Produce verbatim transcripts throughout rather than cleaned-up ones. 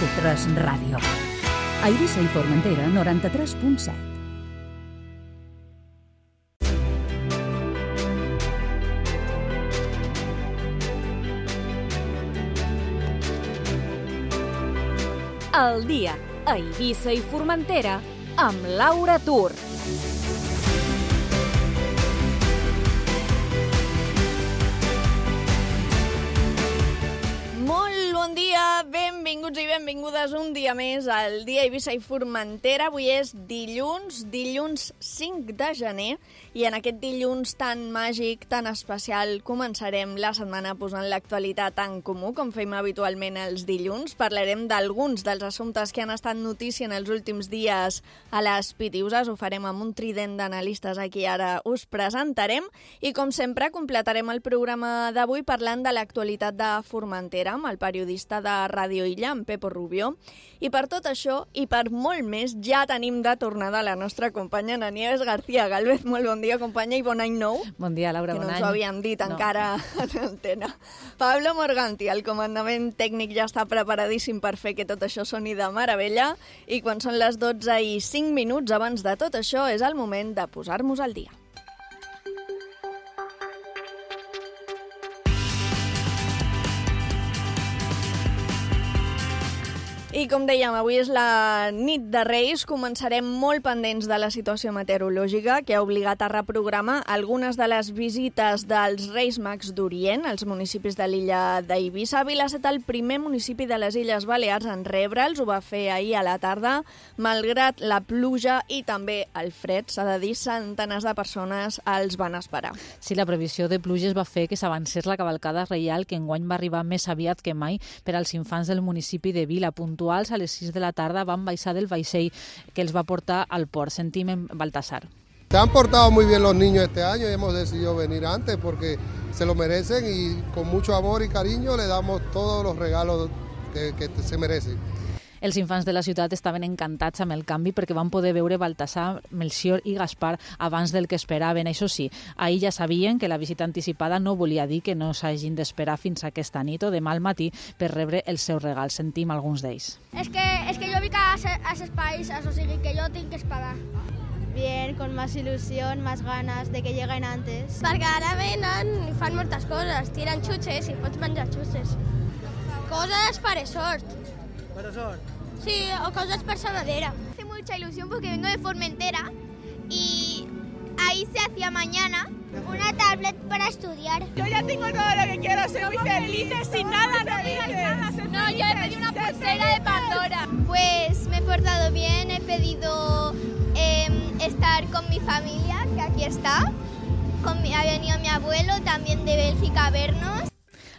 de tres Ràdio. A Eivissa i Formentera, noranta-tres punt set. El dia a Eivissa i Formentera amb Laura Tur. Molt bon dia, benvinguts i benvingudes un dia més al dia Eivissa i Formentera. Avui és dilluns, dilluns cinc de gener, i en aquest dilluns tan màgic, tan especial, començarem la setmana posant l'actualitat en comú, com fem habitualment els dilluns. Parlarem d'alguns dels assumptes que han estat notícia en els últims dies a les Pitiuses. Ho farem amb un trident d'analistes aquí ara us presentarem. I com sempre, completarem el programa d'avui parlant de l'actualitat de Formentera amb el periodista de Ràdio Illa, en Pepo Rubio. I per tot això, i per molt més, ja tenim de tornada la nostra companya Ana Nieves García Gálvez. Molt bon dia, companya, i bon any nou. Bon dia, Laura, bon any. Que no ens ho havíem dit no. encara a l'antena. Pablo Morganti, el comandament tècnic, ja està preparadíssim per fer que tot això soni de meravella. I quan són les dotze i cinc minuts abans de tot això, és el moment de posar-nos al dia. I com dèiem, avui és la nit de Reis. Començarem molt pendents de la situació meteorològica que ha obligat a reprogramar algunes de les visites dels Reis Mags d'Orient als municipis de l'illa d'Eivissa. Vila ha estat el primer municipi de les Illes Balears en rebre'ls. Ho va fer ahir a la tarda. Malgrat la pluja i també el fred, s'ha de dir, centenars de persones els van esperar. Sí, la previsió de pluges va fer que s'avancés la cavalcada reial, que enguany va arribar més aviat que mai per als infants del municipi de Vila. Puntuals a les sis de la tarda van baixar del vaixell que els va portar al port. Sentim en Baltasar. Se han portado muy bien los niños este año y hemos decidido venir antes porque se lo merecen y con mucho amor y cariño le damos todos los regalos que, que se merecen. Els infants de la ciutat estaven encantats amb el canvi perquè van poder veure Baltasar, Melcior i Gaspar abans del que esperaven. Això sí, ahir ja sabien que la visita anticipada no volia dir que no s'hagin d'esperar fins aquesta nit o demà al matí per rebre els seus regals. Sentim alguns d'ells. És que, és que jo vinc a als espais, o sigui que jo tinc que esperar. Bien, con más ilusión, más ganas de que lleguen antes. Perquè ara venen i fan moltes coses, tiren xutxes i pots menjar xutxes. Coses per sort. ¿Para sort? Sí, o cosas per saladera. Hace mucha ilusión porque vengo de Formentera y ahí se hacía mañana una tablet para estudiar. Yo ya tengo todo lo que quiero, soy muy feliz, sin nada, no digas nada. No, yo he pedido una pulsera de Pandora. Pues me he portado bien, he pedido eh, estar con mi familia, que aquí está. Con mi, ha venido mi abuelo también de Bélgica a vernos.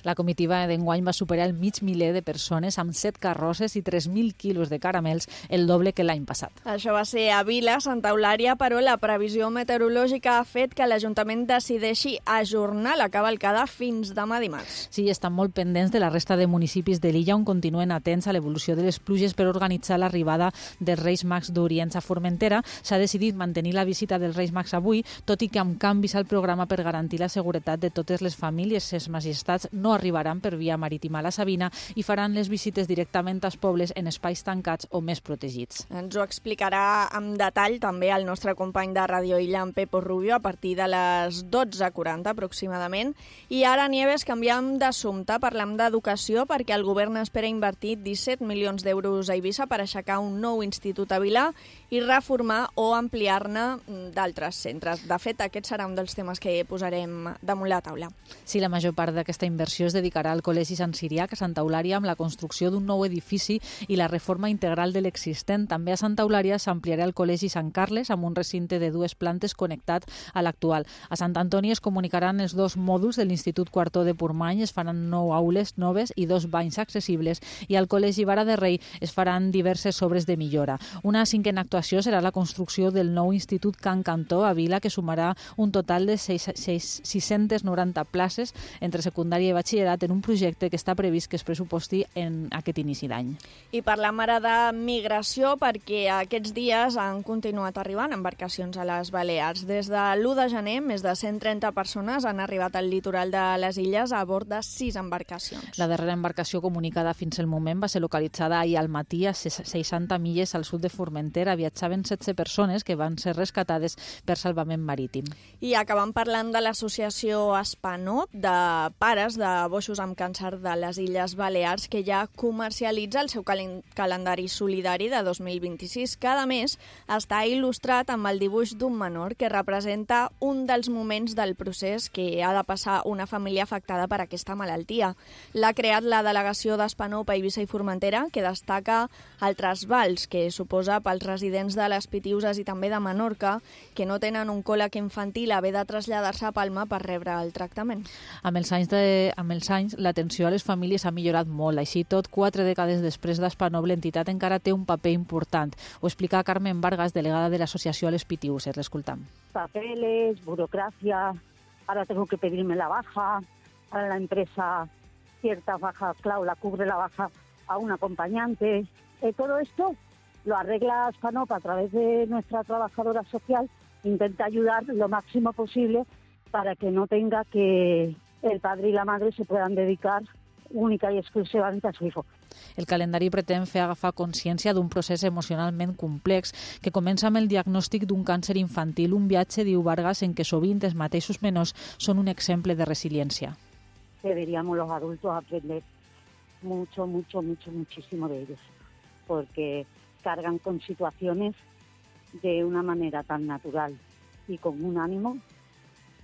La comitiva d'enguany va superar el mig miler de persones amb set carrosses i tres mil quilos de caramels, el doble que l'any passat. Això va ser a Vila, Santa Eulària, però la previsió meteorològica ha fet que l'Ajuntament decideixi ajornar la cavalcada fins demà dimarts. Sí, estan molt pendents de la resta de municipis de l'illa on continuen atents a l'evolució de les pluges per organitzar l'arribada dels Reis Mags d'Orient a Formentera. S'ha decidit mantenir la visita dels Reis Mags avui, tot i que amb canvis al programa per garantir la seguretat de totes les famílies. Ses majestats no arribaran per via marítima a la Sabina i faran les visites directament als pobles en espais tancats o més protegits. Ens ho explicarà amb detall també el nostre company de Ràdio Illa, en Pepo Rubio, a partir de les dotze quaranta aproximadament. I ara, Nieves, canviem d'assumpte, parlem d'educació, perquè el govern espera invertir disset milions d'euros a Eivissa per aixecar un nou institut a Vila i reformar o ampliar-ne d'altres centres. De fet, aquest serà un dels temes que posarem damunt la taula. Sí, la major part d'aquesta inversió es dedicarà al Col·legi Sant Ciriac a Santa Eulària amb la construcció d'un nou edifici i la reforma integral de l'existent. També a Santa Eulària s'ampliarà el Col·legi Sant Carles amb un recinte de dues plantes connectat a l'actual. A Sant Antoni es comunicaran els dos mòduls de l'Institut Quartó de Portmany, es faran nou aules noves i dos banys accessibles, i al Col·legi Vara de Rei es faran diverses obres de millora. Una cinquena actuació serà la construcció del nou Institut Can Cantó a Vila, que sumarà un total de sis-centes noranta places entre secundària i batxillerat batxillerat en un projecte que està previst que es pressuposti en aquest inici d'any. I parlem ara de migració perquè aquests dies han continuat arribant embarcacions a les Balears. Des de l'u de gener, més de cent trenta persones han arribat al litoral de les illes a bord de sis embarcacions. La darrera embarcació comunicada fins al moment va ser localitzada ahir al matí a seixanta milles al sud de Formentera. Viatjaven setze persones que van ser rescatades per salvament marítim. I acabem parlant de l'associació Espanop, de pares de boixos amb càncer de les Illes Balears, que ja comercialitza el seu cal calendari solidari de dos mil vint-i-sis. Cada mes està il·lustrat amb el dibuix d'un menor que representa un dels moments del procés que ha de passar una família afectada per aquesta malaltia. L'ha creat la delegació d'Espanop a Eivissa i Formentera, que destaca el trasbals que suposa pels residents de les Pitiüses i també de Menorca, que no tenen un còleg infantil, haver de traslladar-se a Palma per rebre el tractament. Amb els anys, de, amb els anys l'atenció a les famílies ha millorat molt. Així tot, quatre dècades després d'Espanop, l'entitat encara té un paper important. Ho explica Carmen Vargas, delegada de l'associació a les Pitiüses. L'escoltam. Papeles, burocracia, ahora tengo que pedirme la baja, ahora la empresa cierta baja, claro, la cubre la baja a un acompañante. Eh, todo esto lo arregla Espanop a través de nuestra trabajadora social, intenta ayudar lo máximo posible para que no tenga que el padre y la madre se puedan dedicar única i exclusivament a su hijo. El calendari pretén fer agafar consciència d'un procés emocionalment complex que comença amb el diagnòstic d'un càncer infantil, un viatge, diu Vargas, en què sovint els mateixos menors són un exemple de resiliència. Deberíamos los adultos aprender mucho, mucho, mucho, muchísimo de ellos, porque cargan con situaciones de una manera tan natural y con un ánimo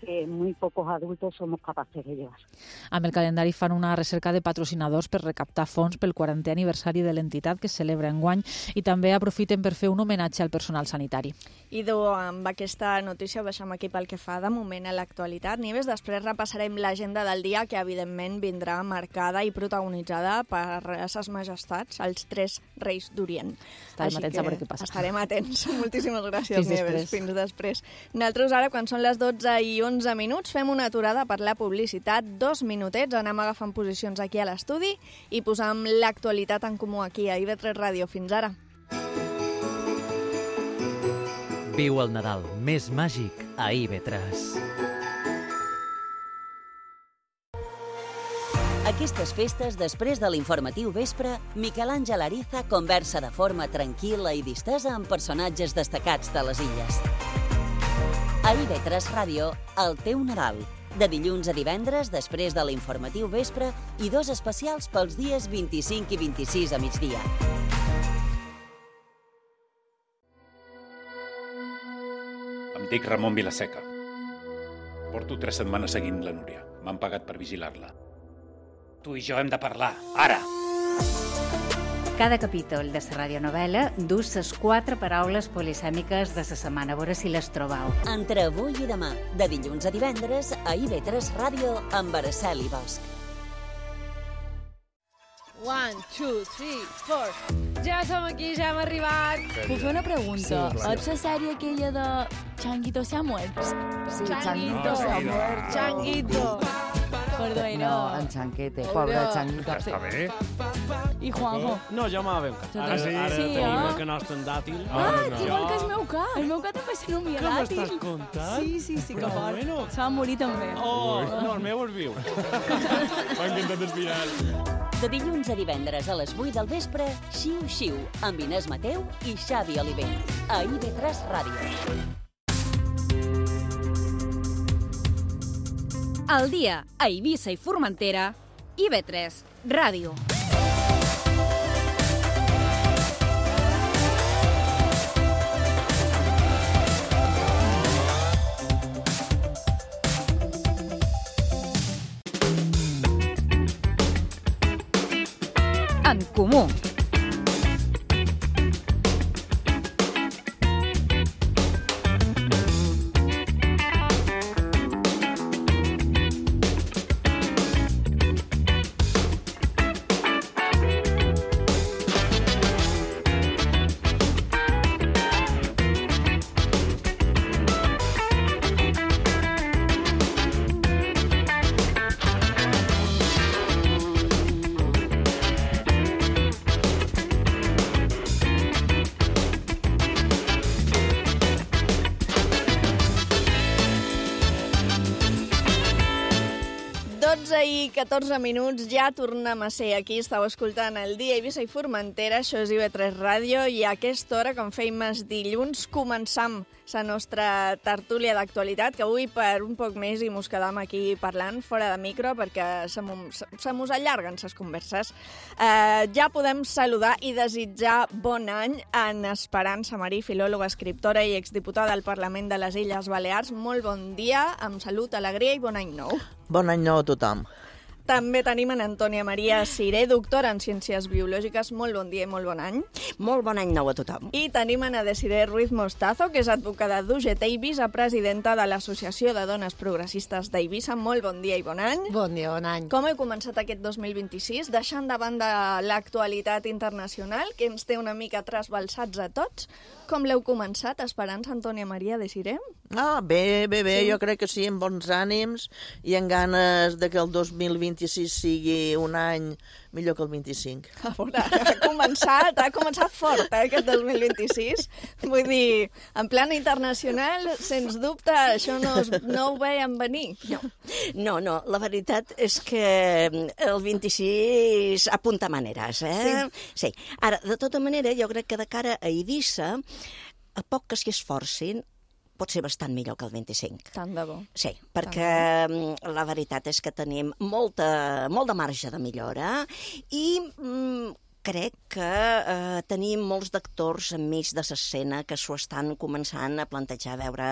que muy pocos adultos somos capaces de llevar. Amb el calendari fan una recerca de patrocinadors per recaptar fons pel quarantè aniversari de l'entitat que es celebra enguany i també aprofiten per fer un homenatge al personal sanitari. I do, amb aquesta notícia ho deixem aquí pel que fa de moment a l'actualitat. Nieves, després repassarem l'agenda del dia que evidentment vindrà marcada i protagonitzada per ses majestats, els tres reis d'Orient. Estarem atents a veure què passa. Estarem atents. Moltíssimes gràcies, Fins Nieves. després. Fins després. Nosaltres ara, quan són les dotze i onze minuts, fem una aturada per la publicitat, dos minutets, anem agafant posicions aquí a l'estudi i posam l'actualitat en comú aquí a I V tres Ràdio. Fins ara. Viu el Nadal més màgic a I V tres. Aquestes festes, després de l'informatiu vespre, Miquel Àngel Ariza conversa de forma tranquil·la i distesa amb personatges destacats de les illes. A I V tres Ràdio, el teu Nadal. De dilluns a divendres, després de l'informatiu vespre, i dos especials pels dies vint-i-cinc i vint-i-sis a migdia. Em dic Ramon Vilaseca. Porto tres setmanes seguint la Núria. M'han pagat per vigilar-la. Tu i jo hem de parlar, ara! Cada capítol de la radionovel·la du les quatre paraules polisèmiques de la setmana. A veure si les trobeu. Entre avui i demà, de dilluns a divendres, a I V tres Ràdio amb Araceli Bosch. One, two, three, four. Ja som aquí, ja hem arribat. Puc fer una pregunta? Sí, Ets la sèrie aquella de Changuito se ha muerto? Sí, Changuito se ha muerto. Changuito. Perdó, No, en Chanquete, pobre Changuito. Està bé. I Juanjo? No, jo m'ha ben cas. Ara, Sí, ara sí, tenim eh? el canast en dàtil. Ah, no. igual que el meu cap. El meu cap també se nomia Què dàtil. m'estàs contant? Sí, sí, sí, que Però fort. bueno. Se va morir també. Oh, no, el meu és viu. M'ha encantat el final. De dilluns a divendres a les vuit del vespre, Xiu Xiu, amb Inés Mateu i Xavi Oliver. A I V tres Ràdio. Al dia a Eivissa i Formentera, I V tres Ràdio. En comú. dotze i catorze minuts, ja tornem a ser aquí. Estàu escoltant el Dia Eivissa i Formentera, això és I V tres Ràdio, i a aquesta hora, com feim els dilluns, començam la nostra tertúlia d'actualitat, que avui per un poc més i mos quedam aquí parlant fora de micro perquè se mos allarguen les converses. Eh, ja podem saludar i desitjar bon any en Esperança Marí, filòloga, escriptora i exdiputada al Parlament de les Illes Balears. Molt bon dia, amb salut, alegria i bon any nou. Bon any nou a tothom. També tenim en Antònia Maria Siré, doctora en Ciències Biològiques. Molt bon dia i molt bon any. Molt bon any nou a tothom. I tenim en Desiree Ruiz Mostazo, que és advocada d'U G T i vicepresidenta de l'Associació de Dones Progressistes d'Eivissa. Molt bon dia i bon any. Bon dia, bon any. Com heu començat aquest dos mil vint-i-sis, deixant de banda l'actualitat internacional, que ens té una mica trasbalsats a tots? Com l'heu començat, Esperança, Antònia Maria, Desiree? Ah, bé, bé, bé, Sí. jo crec que sí, amb bons ànims i amb ganes de que el dos mil vint-i-sis sigui un any millor que el vint-i-cinc. A veure, ha començat, ha començat fort, eh, aquest dos mil vint-i-sis. Vull dir, en plan internacional, sens dubte, això no, es, no ho veiem venir. No. no, no, la veritat és que el vint-i-sis apunta maneres, eh? Sí. sí. Ara, de tota manera, jo crec que de cara a Eivissa, a poc que s'hi esforcin, pot ser bastant millor que el vint-i-cinc. Tant de bo. Sí, perquè la veritat és que tenim molta, molt de marge de millora i mm, crec que eh, tenim molts d'actors enmig de l'escena que s'ho estan començant a plantejar, a veure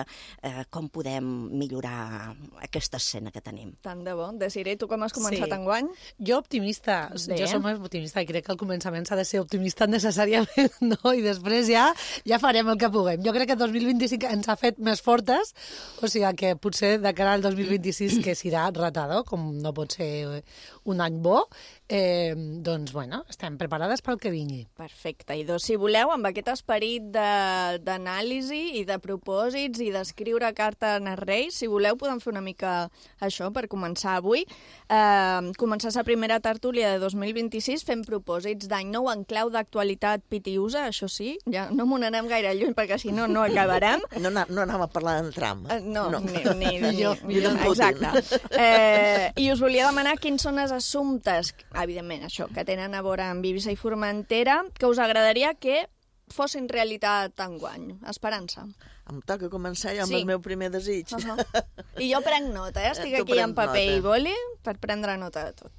eh, com podem millorar aquesta escena que tenim. Tant de bo. Desiree, tu com has començat Sí. enguany? Jo optimista. Bé. Jo som optimista i crec que al començament s'ha de ser optimista necessàriament, no? I després ja ja farem el que puguem. Jo crec que el dos mil vint-i-cinc ens ha fet més fortes, o sigui que potser de cara al dos mil vint-i-sis, que serà retado, com no pot ser un any bo, eh, doncs, bueno, estem preparades pel que vingui. Perfecte. I doncs, si voleu, amb aquest esperit de- d'anàlisi i de propòsits i d'escriure carta als Reis, si voleu, podem fer una mica això per començar avui. Eh, començar la primera tertúlia de dos mil vint-i-sis fent propòsits d'any nou en clau d'actualitat pitiusa, això sí, ja no m'ho n'anem gaire lluny perquè si no, no acabarem. No, na- no anàvem a parlar en tram. Eh, no, No. ni... ni, ni, Millor- ni millor en Putin. exacte. Eh, I us volia demanar quins són els assumptes, evidentment, això, que tenen a veure amb Eivissa i Formentera, que us agradaria que fossin realitat enguany. Esperança. Em toca començar ja amb Sí. el meu primer desig. Uh -huh. I jo prenc nota, eh? Estic Tu aquí amb prens paper nota. i boli per prendre nota de tot.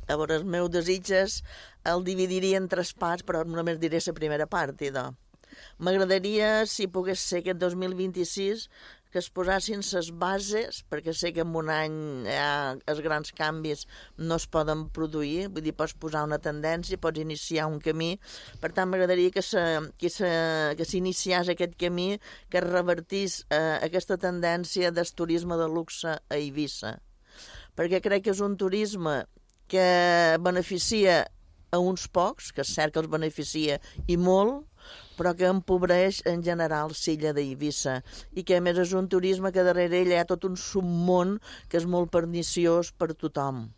A veure, el meu desig és el dividiria en tres parts, però només diré la primera part, idò. M'agradaria, si pogués ser aquest dos mil vint-i-sis, que es posassin les bases, perquè sé que en un any ja, els grans canvis no es poden produir, vull dir, pots posar una tendència, pots iniciar un camí, per tant m'agradaria que se, que se, que s'iniciés aquest camí, que es revertís eh, aquesta tendència del turisme de luxe a Eivissa, perquè crec que és un turisme que beneficia a uns pocs, que és cert que els beneficia i molt, però que empobreix en general l'illa d'Eivissa i que a més és un turisme que darrere ell hi ha tot un submón que és molt perniciós per tothom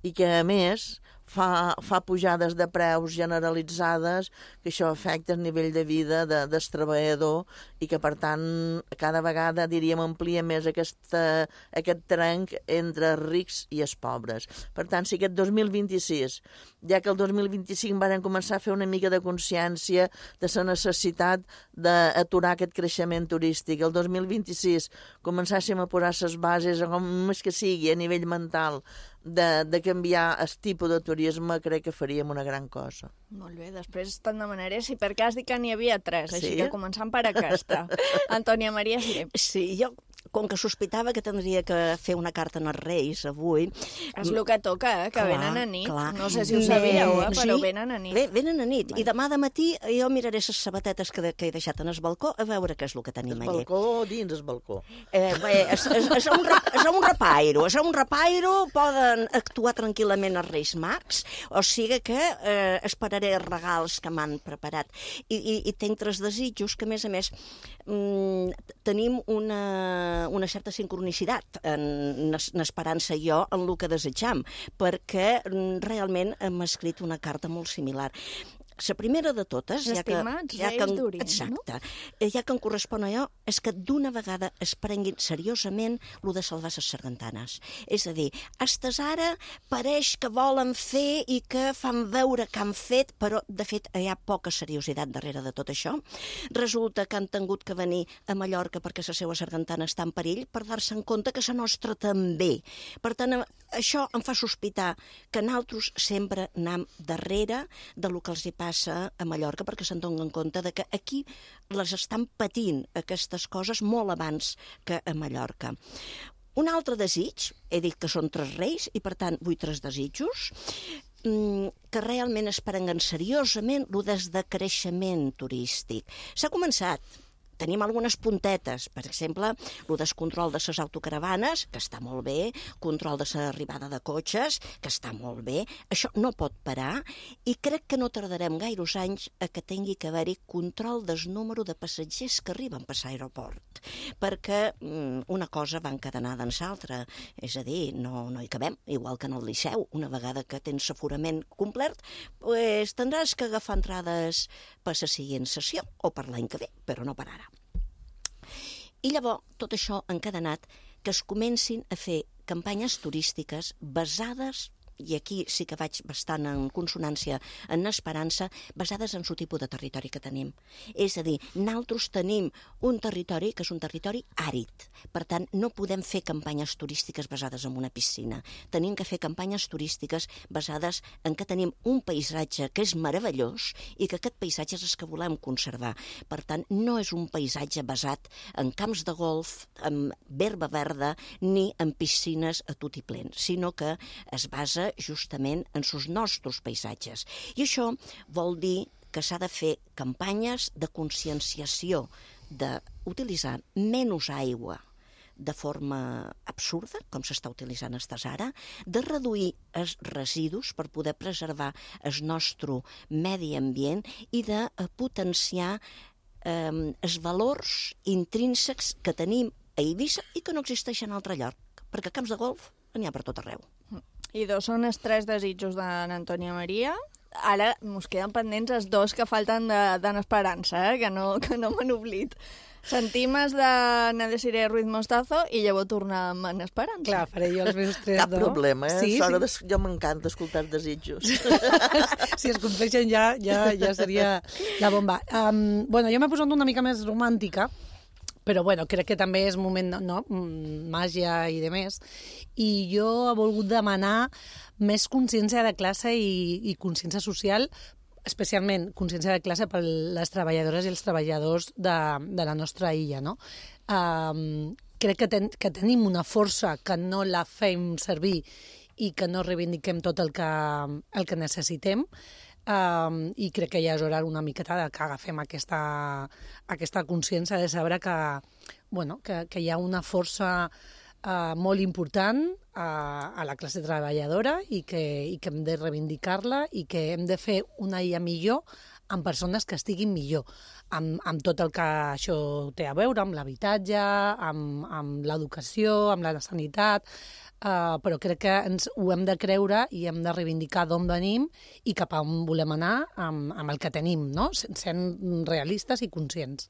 i que a més fa, fa pujades de preus generalitzades que això afecta el nivell de vida de, del treballador i que per tant cada vegada diríem amplia més aquesta, aquest trenc entre els rics i els pobres. Per tant, si aquest dos mil vint-i-sis, ja que el dos mil vint-i-cinc varen començar a fer una mica de consciència de la necessitat d'aturar aquest creixement turístic, el dos mil vint-i-sis començàssim a posar les bases, com més que sigui a nivell mental, de, de canviar el tipus de turisme, crec que faríem una gran cosa. Molt bé, després te'n demanaré si per cas dic que n'hi havia tres, així Sí? que començant per aquesta. Antònia Maria Siré. Sí, jo, com que sospitava que tindria que fer una carta als Reis avui... És el que toca, eh? Que Clar, venen a nit. clar. No sé si ho sabíeu, eh? Però Sí? venen a nit. Bé, venen a nit. I demà de matí jo miraré les sabatetes que, que he deixat en el balcó a veure què és el que tenim El allà. balcó dins el balcó. Eh, bé, és, és, és, un, ra- és un repairo, és un repairo, poden actuar tranquil·lament els Reis Mags, o sigui que eh, esperaré els regals que m'han preparat. I, i, i tinc tres desitjos que, a més a més, mm, tenim una, una certa sincronicitat en, en Esperança i jo en el que desitjam, perquè mm, realment hem escrit una carta molt similar. la primera de totes... Els ja que, estimats ja que, Reis d'Orient, exacte, no? Ja que em correspon a allò, és que d'una vegada es prenguin seriosament lo de salvar les sargantanes. És a dir, estes ara pareix que volen fer i que fan veure que han fet, però de fet hi ha poca seriositat darrere de tot això. Resulta que han tingut que venir a Mallorca perquè la seva sargantana està en perill per dar-se en compte que la nostra també. Per tant, això em fa sospitar que nosaltres sempre anem darrere de lo que els hi passa a Mallorca, perquè se'n donen en compte de que aquí les estan patint aquestes coses molt abans que a Mallorca. Un altre desig, he dit que són tres reis i per tant vull tres desitjos, que realment es prenguen seriosament el desdecreixement turístic. S'ha començat. Tenim algunes puntetes, per exemple, el descontrol de les autocaravanes, que està molt bé, control de l'arribada de cotxes, que està molt bé. Això no pot parar i crec que no tardarem gaires anys a que tingui que haver-hi control del número de passatgers que arriben per l'aeroport, perquè mm, una cosa va encadenada en l'altra, és a dir, no, no hi cabem, igual que en el Liceu, una vegada que tens aforament complet, pues, tindràs que agafar entrades per la següent sessió o per l'any que ve, però no per ara. I llavors, tot això encadenat, que es comencin a fer campanyes turístiques basades, i aquí sí que vaig bastant en consonància, en esperança, basades en el tipus de territori que tenim. És a dir, nosaltres tenim un territori que és un territori àrid. Per tant, no podem fer campanyes turístiques basades en una piscina. Tenim que fer campanyes turístiques basades en que tenim un paisatge que és meravellós i que aquest paisatge és el que volem conservar. Per tant, no és un paisatge basat en camps de golf, en herba verda, ni en piscines a tot i plen, sinó que es basa justament en els nostres paisatges. I això vol dir que s'ha de fer campanyes de conscienciació, d'utilitzar menys aigua de forma absurda, com s'està utilitzant estes ara, de reduir els residus per poder preservar el nostre medi ambient i de potenciar eh, els valors intrínsecs que tenim a Eivissa i que no existeixen a altre lloc, perquè camps de golf n'hi ha per tot arreu. I dos són els tres desitjos d'en Antònia Maria. Ara mos queden pendents els dos que falten d'en Esperança, eh? que no, que no m'han oblit. Sentim els de Nadesiré Ruiz Mostazo i llavors tornar amb en Esperança. Clar, faré jo els meus tres, Cap no? problema, eh? Sí, Sort sí. de... Jo m'encanta escoltar desitjos. Si es compleixen ja, ja, ja seria la bomba. Um, bueno, jo m'he posat una mica més romàntica, però bueno, crec que també és moment, no? Màgia i de més. I jo he volgut demanar més consciència de classe i, i consciència social, especialment consciència de classe per les treballadores i els treballadors de, de la nostra illa, no? Um, crec que, ten, que tenim una força que no la fem servir i que no reivindiquem tot el que, el que necessitem. Um, i crec que ja és hora una miqueta de que agafem aquesta, aquesta consciència de saber que, bueno, que, que hi ha una força uh, molt important uh, a la classe treballadora i que, i que hem de reivindicar-la i que hem de fer una illa millor amb persones que estiguin millor, amb, amb tot el que això té a veure, amb l'habitatge, amb, amb l'educació, amb la sanitat, uh, però crec que ens ho hem de creure i hem de reivindicar d'on venim i cap a on volem anar amb, amb el que tenim, no? Sent realistes i conscients.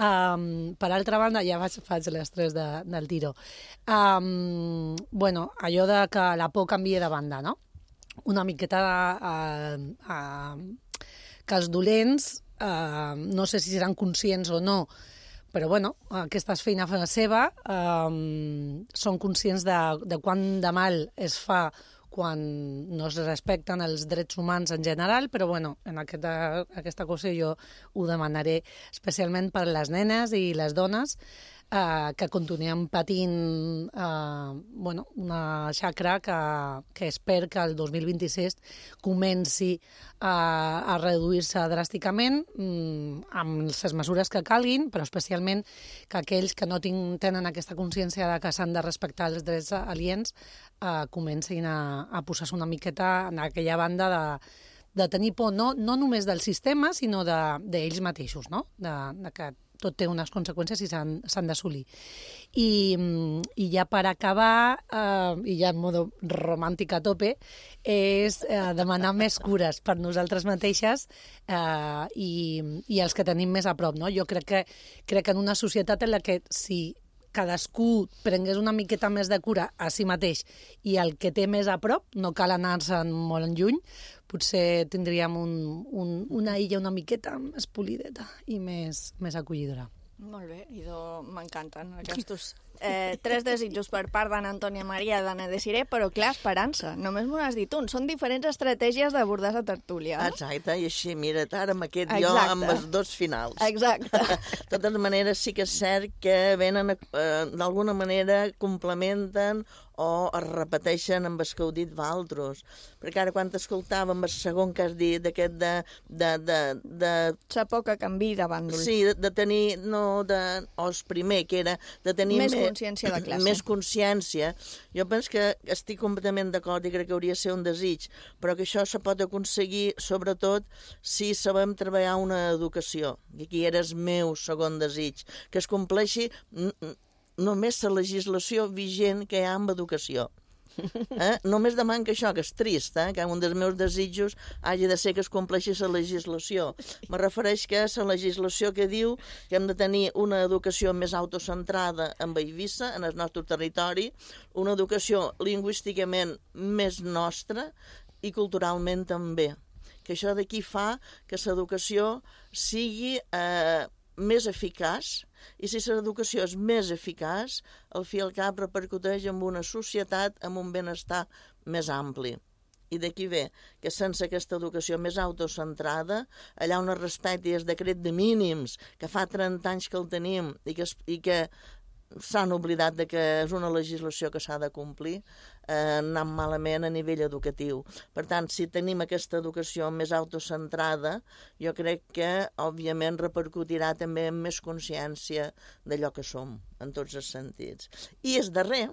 Um, per altra banda, ja faig, faig les tres de, del tiro. Um, bueno, allò de que la por canvia de banda, no? Una miqueta uh, uh, que els dolents, eh, no sé si seran conscients o no, però bueno, aquesta feina fa la seva, eh, són conscients de, de quant de mal es fa quan no es respecten els drets humans en general, però bueno, en aquesta, aquesta cosa jo ho demanaré especialment per les nenes i les dones, Uh, que continuem patint uh, bueno, una xacra que, que espero que el dos mil vint-i-sis comenci uh, a reduir-se dràsticament um, amb les mesures que calguin, però especialment que aquells que no tinc, tenen aquesta consciència de que s'han de respectar els drets aliens uh, comencin a, a posar-se una miqueta en aquella banda de, de tenir por no, no només del sistema, sinó d'ells de, mateixos, no? de, de que tot té unes conseqüències i s'han d'assolir. I, I ja per acabar, eh, i ja en modo romàntic a tope, és eh, demanar més cures per nosaltres mateixes eh, i, i els que tenim més a prop. No? Jo crec que, crec que en una societat en la que si cadascú prengués una miqueta més de cura a si mateix i el que té més a prop, no cal anar-se'n molt en lluny, potser tindríem un, un, una illa una miqueta més polideta i més, més acollidora. Molt bé, idò, m'encanten aquests eh, tres desitjos per part d'Anna Antònia Maria i d'Anna Desiré, però clar, Esperança, només m'ho has dit un, són diferents estratègies d'abordar la tertúlia. Exacte, i així, mira't, ara amb aquest jo amb els dos finals. Exacte. De totes maneres, sí que és cert que venen, eh, d'alguna manera, complementen o es repeteixen amb el que heu dit vosaltres. Perquè ara quan t'escoltàvem el segon que has dit, d'aquest de... de, de, de... Sa poca canvi de bàndol. Sí, de, de tenir, no, de... o el primer, que era de tenir... Més consciència de classe. Més consciència. Jo penso que estic completament d'acord i crec que hauria de ser un desig, però que això se pot aconseguir, sobretot, si sabem treballar una educació. I aquí era el meu segon desig, que es compleixi només la legislació vigent que hi ha amb educació. Eh? Només demano que això, que és trist, eh? Que un dels meus desitjos hagi de ser que es compleixi la legislació. Me refereix que la legislació que diu que hem de tenir una educació més autocentrada en Eivissa, en el nostre territori, una educació lingüísticament més nostra i culturalment també. Que això d'aquí fa que l'educació sigui eh, més eficaç, i si l'educació és més eficaç, al fi i al cap repercuteix en una societat amb un benestar més ampli. I d'aquí ve que sense aquesta educació més autocentrada, allà on es respecti el decret de mínims, que fa trenta anys que el tenim i que, i que s'han oblidat de que és una legislació que s'ha de complir, eh, anant malament a nivell educatiu. Per tant, si tenim aquesta educació més autocentrada, jo crec que, òbviament, repercutirà també en més consciència d'allò que som, en tots els sentits. I el darrer,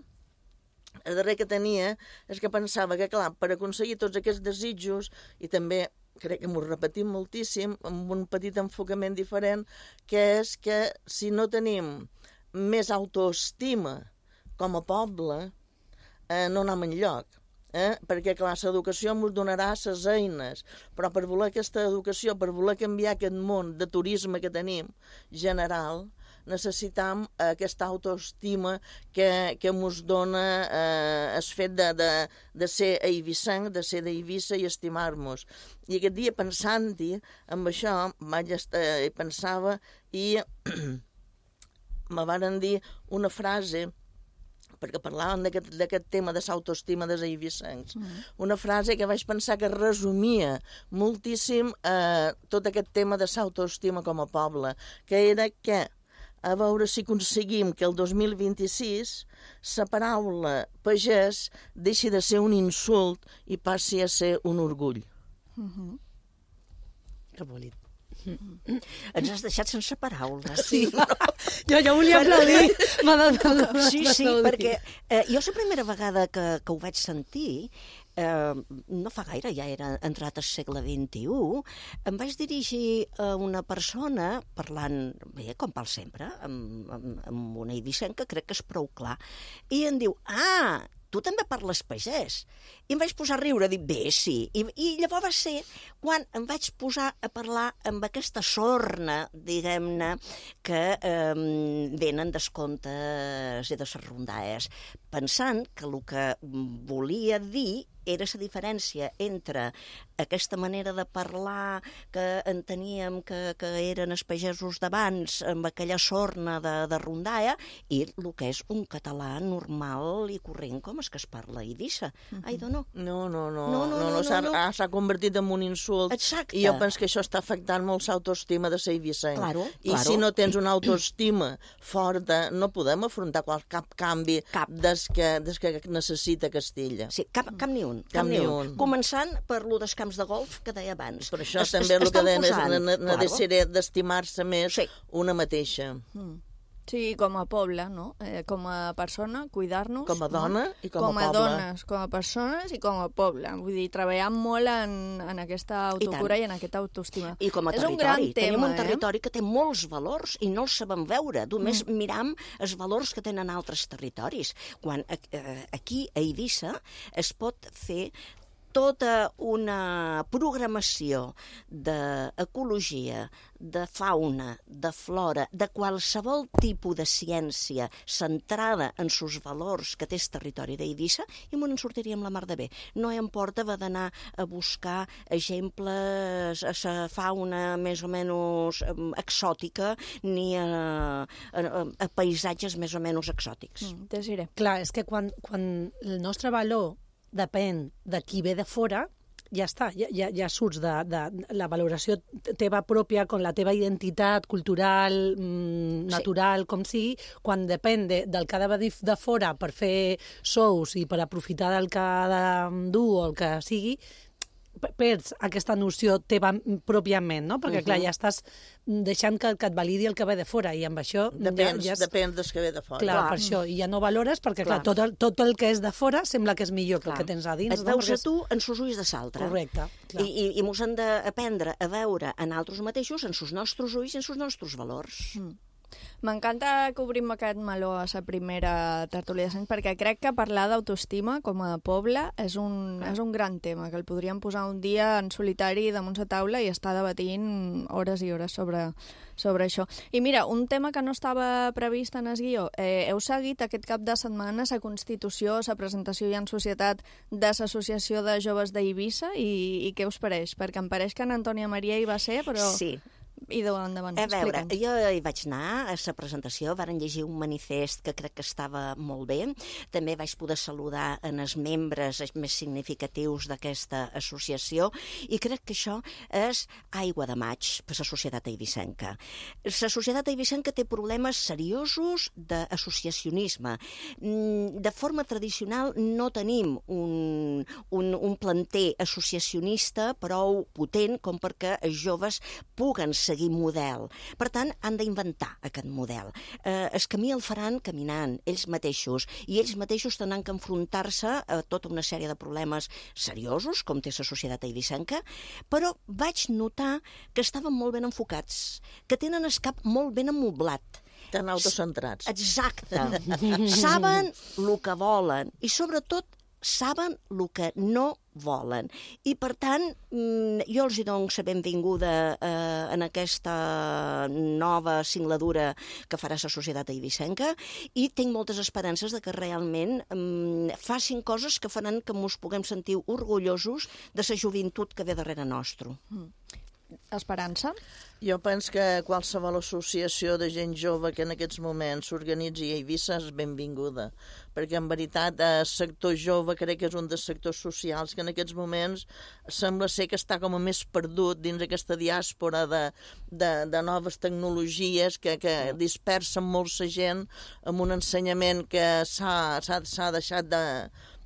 el darrer que tenia és que pensava que, clar, per aconseguir tots aquests desitjos, i també crec que m'ho repetim moltíssim, amb un petit enfocament diferent, que és que si no tenim més autoestima com a poble, eh, no anem enlloc. Eh? Perquè, clar, l'educació ens donarà les eines, però per voler aquesta educació, per voler canviar aquest món de turisme que tenim general, necessitam aquesta autoestima que, que ens dona eh, el fet de, de, de ser eivissenc, de ser d'Eivissa i estimar-nos. I aquest dia pensant-hi, amb això, vaig estar, pensava i me varen dir una frase, perquè parlaven d'aquest tema de l'autoestima dels eivissencs, mm. una frase que vaig pensar que resumia moltíssim eh, tot aquest tema de l'autoestima com a poble, que era que a veure si aconseguim que el dos mil vint-i-sis la paraula pagès deixi de ser un insult i passi a ser un orgull. Mm-hmm. Que bonic. Mm-hmm. Ens has deixat sense paraules. Sí, no. jo, jo volia aplaudir. Sí, sí, perquè eh, jo la primera vegada que, que ho vaig sentir, eh, no fa gaire, ja era entrat al segle vint-i-u, em vaig dirigir a una persona, parlant bé, com pel sempre, amb, amb, amb una eivissenca, crec que és prou clar, i em diu, ah, tu també parles pagès. I em vaig posar a riure, dic, bé, sí. I, i llavors va ser quan em vaig posar a parlar amb aquesta sorna, diguem-ne, que eh, venen des contes i de les rondalles, pensant que el que volia dir era la diferència entre aquesta manera de parlar que enteníem que, que eren els pagesos d'abans, amb aquella sorna de, de rondalla, i el que és un català normal i corrent, com és que es parla a Eivissa. Uh-huh. Ai, no. No, no, no. No, no, no, no, s'ha, no. S'ha convertit en un insult. Exacte. I jo penso que això està afectant molt l'autoestima de l'eivissenc. Claro, I claro. si no tens una autoestima forta, no podem afrontar qual, cap canvi cap. Des, que, des que necessita Castilla. Sí, cap, cap ni un. Cap, cap ni un. un. Començant per lo dels camps de golf que deia abans. Per això es, també es, el que deia posant, necessaré d'estimar-se més sí. una mateixa. Mm. Sí, com a poble, no? Eh, com a persona, cuidar-nos. Com a dona no? i com a com a poble. dones, com a persones i com a poble. Vull dir, treballar molt en, en aquesta autocura i, i en aquesta autoestima. I com a És territori. un gran Tenim tema, un territori eh? que té molts valors i no els sabem veure. Només mm. miram els valors que tenen altres territoris. Quan eh, aquí, a Eivissa, es pot fer tota una programació d'ecologia, de fauna, de flora, de qualsevol tipus de ciència centrada en sus valors que té el territori d'Eivissa, i m'ho en sortiríem la mar de bé. No em porta va d'anar a buscar exemples a la fauna més o menys exòtica ni a, a, a paisatges més o menys exòtics. Mm, Desiré. Clar, és que quan, quan el nostre valor depèn de qui ve de fora, ja està, ja, ja, ja surts de, de la valoració teva pròpia, con la teva identitat cultural, mmm, natural, sí. com sigui, quan depèn de, del que ha de venir de fora per fer shows i per aprofitar del que ha de dur o el que sigui, perds aquesta noció teva pròpiament, no? Perquè, uh -huh. clar, ja estàs deixant que, que et validi el que ve de fora, i amb això... Depèn, ja, ja és... depèn del que ve de fora. Clar, clar, per això, i ja no valores, perquè, clar, clar tot, el, tot el que és de fora sembla que és millor que clar. el que tens a dins. Et no? veus Perquè a tu en sos ulls de l'altre. Correcte. Clar. I, i, i mos hem d'aprendre a veure en altres mateixos, en sos nostres ulls i en sos nostres valors. Mm. M'encanta que obrim aquest meló a la primera tertúlia de Sants, perquè crec que parlar d'autoestima com a poble és un, és un gran tema, que el podríem posar un dia en solitari damunt la taula i estar debatint hores i hores sobre, sobre això. I mira, un tema que no estava previst en el guió. Eh, heu seguit aquest cap de setmana la constitució, la presentació ja en societat de l'Associació de Joves d'Eivissa, i, i què us pareix? Perquè em pareix que en Antònia Maria hi va ser, però... Sí. I de endavant, a veure, jo hi vaig anar a la presentació, varen llegir un manifest que crec que estava molt bé, també vaig poder saludar en els membres més significatius d'aquesta associació, i crec que això és aigua de maig per la societat eivissenca. La societat eivissenca té problemes seriosos d'associacionisme. De forma tradicional no tenim un, un, un planter associacionista prou potent com perquè els joves puguen seguir model. Per tant, han d'inventar aquest model. Eh, el camí el faran caminant, ells mateixos, i ells mateixos tenen que enfrontar-se a tota una sèrie de problemes seriosos, com té la societat eivissenca, però vaig notar que estaven molt ben enfocats, que tenen el cap molt ben amoblat. Tan autocentrats. Exacte. Saben el que volen i, sobretot, saben el que no volen. I, per tant, jo els hi dono la benvinguda eh, en aquesta nova singladura que farà la societat eivissenca, i tinc moltes esperances de que realment eh, facin coses que faran que ens puguem sentir orgullosos de la joventut que ve darrere nostre. Mm. Esperança? Jo penso que qualsevol associació de gent jove que en aquests moments s'organitzi a Eivissa és benvinguda, perquè en veritat el sector jove crec que és un dels sectors socials que en aquests moments sembla ser que està com a més perdut dins aquesta diàspora de, de, de noves tecnologies que, que dispersen molt la gent amb un ensenyament que s'ha deixat de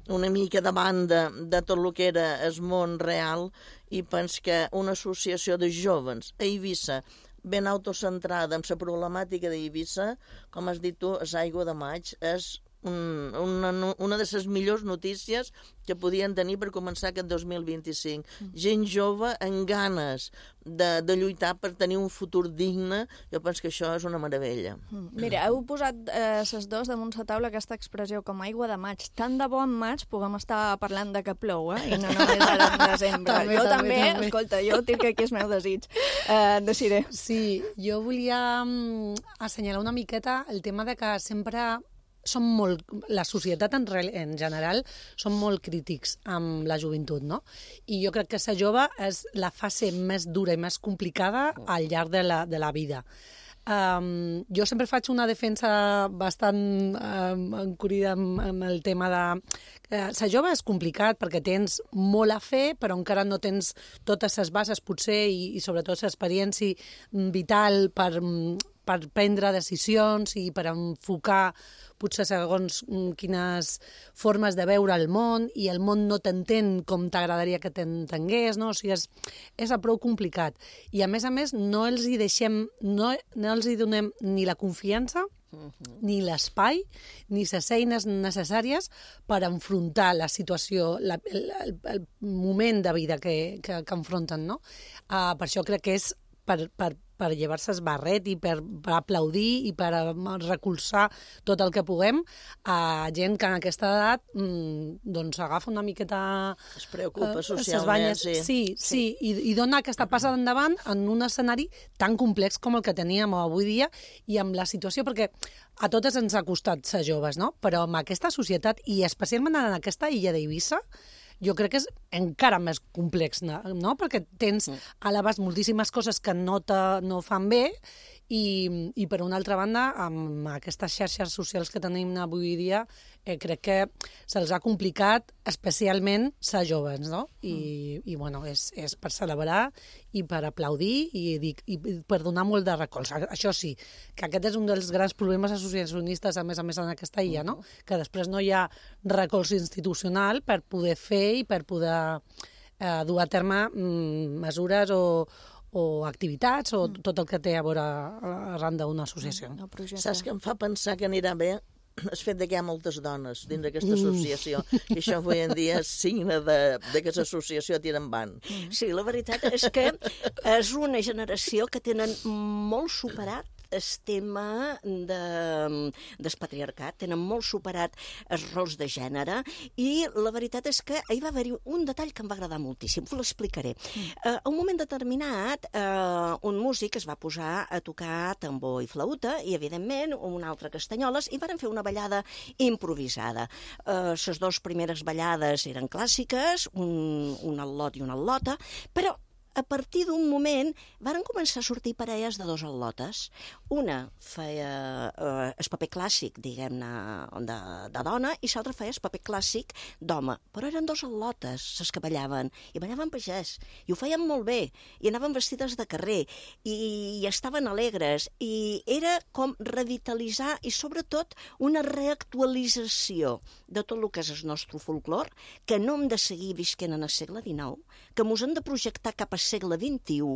una mica de banda de tot el que era el món real, i penso que una associació de joves a Eivissa ben autocentrada en la problemàtica d'Eivissa, com has dit tu, és aigua de maig, és un, una, una de les millors notícies que podien tenir per començar aquest dos mil vint-i-cinc. Gent jove amb ganes de, de lluitar per tenir un futur digne, jo penso que això és una meravella. Mira, heu posat eh, ses dos damunt la taula aquesta expressió com aigua de maig. Tant de bo en maig puguem estar parlant de que plou, eh? I no només ara en desembre. també, jo també, també, també, escolta, jo tinc aquí el meu desig. Eh, Desiré. Sí, jo volia um, assenyalar una miqueta el tema de que sempre som molt, la societat en, en general som molt crítics amb la joventut, no? I jo crec que ser jove és la fase més dura i més complicada al llarg de la, de la vida. Um, jo sempre faig una defensa bastant um, encurrida amb, amb el tema de... Uh, ser jove és complicat perquè tens molt a fer, però encara no tens totes les bases, potser, i, i sobretot l'experiència vital per... per prendre decisions i per enfocar potser segons quines formes de veure el món, i el món no t'entén com t'agradaria que t'entengués, no? O sigui, és, és prou complicat. I a més a més no els hi deixem, no, no els hi donem ni la confiança ni l'espai, ni les eines necessàries per enfrontar la situació, la, el, el, el moment de vida que, que, que enfronten, no? Uh, per això crec que és per, per, per llevar-se el barret i per, per aplaudir i per recolzar tot el que puguem a gent que en aquesta edat mmm, doncs agafa una miqueta... Es preocupa uh, socialment, sí. Sí, sí. sí, i, i dona aquesta passa endavant en un escenari tan complex com el que teníem avui dia i amb la situació, perquè a totes ens ha costat ser joves, no? Però amb aquesta societat, i especialment en aquesta illa d'Eivissa, jo crec que és encara més complex, no? Perquè tens a l'abast moltíssimes coses que no, te, no fan bé i, i per una altra banda, amb aquestes xarxes socials que tenim avui dia, eh, crec que se'ls ha complicat especialment ser joves, no? I, i bueno, és, és per celebrar i per aplaudir i, i, i per donar molt de recolz. Això sí, que aquest és un dels grans problemes associacionistes, a més a més, en aquesta illa, no? Que després no hi ha recolz institucional per poder fer i per poder eh, dur a terme mm, mesures o, o activitats o tot el que té a veure arran d'una associació. Saps que em fa pensar que anirà bé el fet que hi ha moltes dones dins d'aquesta associació, i això avui en dia és signe de, de que l'associació tira endavant. Sí, la veritat és que és una generació que tenen molt superat el tema de, del patriarcat, tenen molt superat els rols de gènere, i la veritat és que hi va haver un detall que em va agradar moltíssim, us l'explicaré. Mm. Uh, a un moment determinat, uh, un músic es va posar a tocar tambor i flauta, i evidentment un altre castanyoles, i varen fer una ballada improvisada. Uh, les dues primeres ballades eren clàssiques, un, un al·lot i una al·lota, però a partir d'un moment varen començar a sortir parelles de dos al·lotes. Una feia eh, el paper clàssic, diguem-ne, de, de dona, i l'altra feia el paper clàssic d'home. Però eren dos al·lotes, les que ballaven, i ballaven pagès, i ho feien molt bé, i anaven vestides de carrer, i, i estaven alegres, i era com revitalitzar, i sobretot una reactualització de tot el que és el nostre folklore, que no hem de seguir visquent en el segle dinou, que mos hem de projectar cap al segle vint-i-u,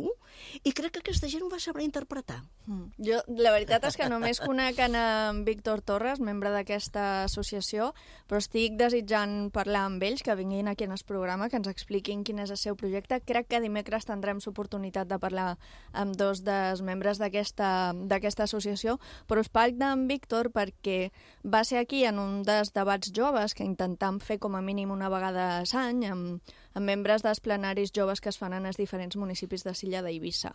i crec que aquesta gent ho va saber interpretar. Mm. Jo, la veritat és que només conec en Víctor Torres, membre d'aquesta associació, però estic desitjant parlar amb ells, que vinguin aquí en el programa, que ens expliquin quin és el seu projecte. Crec que dimecres tindrem l'oportunitat de parlar amb dos dels membres d'aquesta d'aquesta associació, però us parlo d'en Víctor perquè va ser aquí en un dels debats joves que intentam fer com a mínim una vegada a l'any, amb, amb membres dels plenaris joves que es fan en els diferents municipis de l'illa d'Eivissa.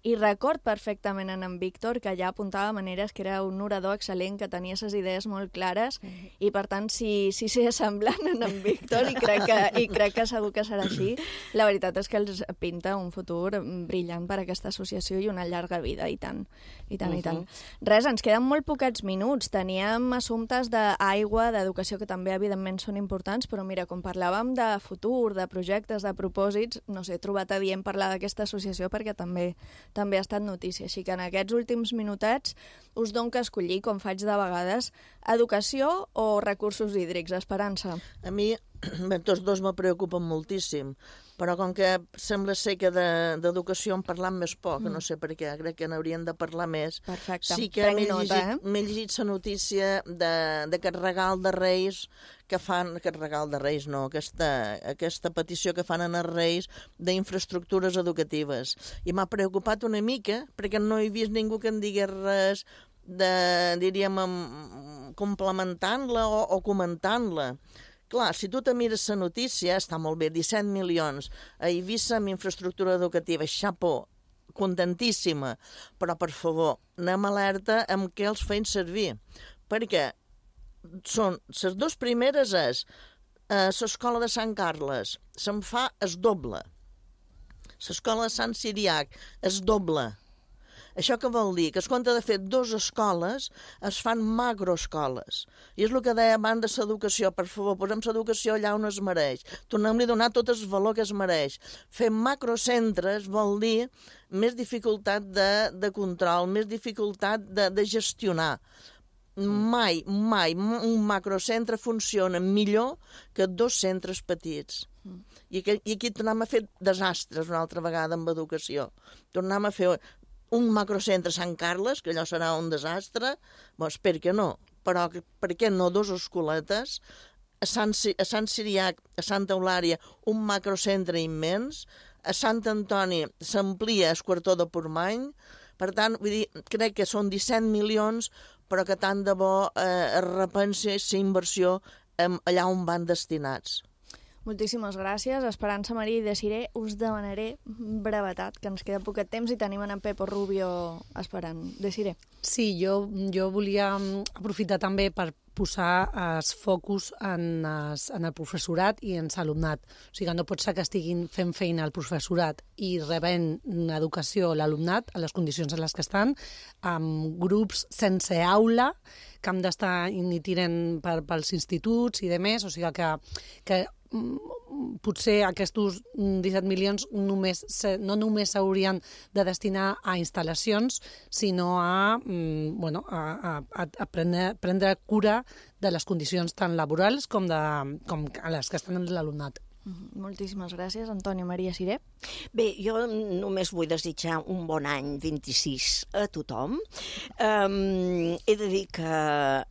I record perfectament en en Víctor que allà apuntava maneres que era un orador excel·lent, que tenia les idees molt clares, mm-hmm. i per tant, si, si s'hi semblant en en Víctor, i crec, que, i crec que segur que serà així, la veritat és que els pinta un futur brillant per a aquesta associació i una llarga vida, i tant, i tant, mm-hmm. i tant. Res, ens queden molt poquets minuts. Teníem assumptes d'aigua, d'educació, que també, evidentment, són importants, però mira, com parlàvem de futur, de projectes, de propòsits, no sé, he trobat adient parlar d'aquesta associació perquè també també ha estat notícia. Així que en aquests últims minutets us dono que escollir, com faig de vegades, educació o recursos hídrics. Esperança. A mi, tots dos me preocupen moltíssim, però com que sembla ser que d'educació de, en parlam més poc, mm. no sé per què, crec que n'haurien de parlar més. Perfecte. Sí que m'he llegit, eh? llegit la notícia d'aquest regal de Reis que fan, aquest regal de Reis no, aquesta, aquesta petició que fan en els Reis d'infraestructures educatives. I m'ha preocupat una mica, perquè no he vist ningú que en digués res de, diríem, complementant-la o, o comentant-la. Clar, si tu te mires la notícia, està molt bé, disset milions a Eivissa amb infraestructura educativa, xapó, contentíssima, però per favor, anem alerta amb què els feien servir, perquè són, les dues primeres és eh, l'escola de Sant Carles, se'n fa es doble, l'escola de Sant Siriac es doble. Això què vol dir? Que es compte de fer dues escoles, es fan macroescoles. I és el que deia abans de l'educació. Per favor, posem l'educació allà on es mereix. Tornem-li a donar tot el valor que es mereix. Fer macrocentres vol dir més dificultat de, de control, més dificultat de, de gestionar. Mai, mai un macrocentre funciona millor que dos centres petits. Mm. I, aquí, I aquí tornem a fer desastres una altra vegada amb educació. Tornem a fer... un macrocentre a Sant Carles, que allò serà un desastre, doncs per què no? Però per què no dos escoletes, a Sant, a Sant Siriac, a Santa Eulària, un macrocentre immens, a Sant Antoni s'amplia el quartó de Portmany, per tant, vull dir, crec que són disset milions, però que tant de bo eh, es repensi la inversió allà on van destinats. Moltíssimes gràcies. Esperança Marí i Desiré, us demanaré brevetat, que ens queda poquet temps i tenim en Pepo Rubio esperant. Desiré. Sí, jo, jo volia aprofitar també per posar els focus en, es, en el professorat i en l'alumnat. O sigui, no pot ser que estiguin fent feina al professorat i rebent educació l'alumnat a les condicions en les que estan, amb grups sense aula, que han d'estar ni tiren per, pels instituts i demés, o sigui que, que potser aquests disset milions només, no només s'haurien de destinar a instal·lacions, sinó a, bueno, a, a, a prendre, prendre cura de les condicions tant laborals com, de, com a les que estan en l'alumnat. Moltíssimes gràcies. Antònia Maria Siré. Bé, jo només vull desitjar un bon any vint-i-sis a tothom. Um, he de dir que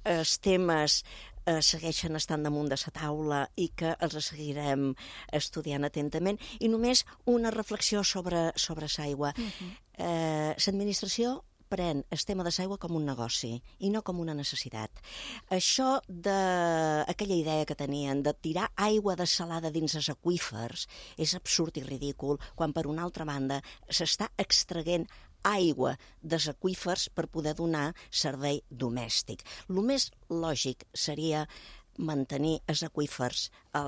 els temes eh, segueixen estant damunt de la taula i que els seguirem estudiant atentament. I només una reflexió sobre, sobre l'aigua. Uh-huh. eh, l'administració pren el tema de l'aigua com un negoci i no com una necessitat. Això d'aquella idea que tenien de tirar aigua dessalada dins els aqüífers és absurd i ridícul, quan per una altra banda s'està extraient aigua dels aqüífers per poder donar servei domèstic. El més lògic seria mantenir els aqüífers al,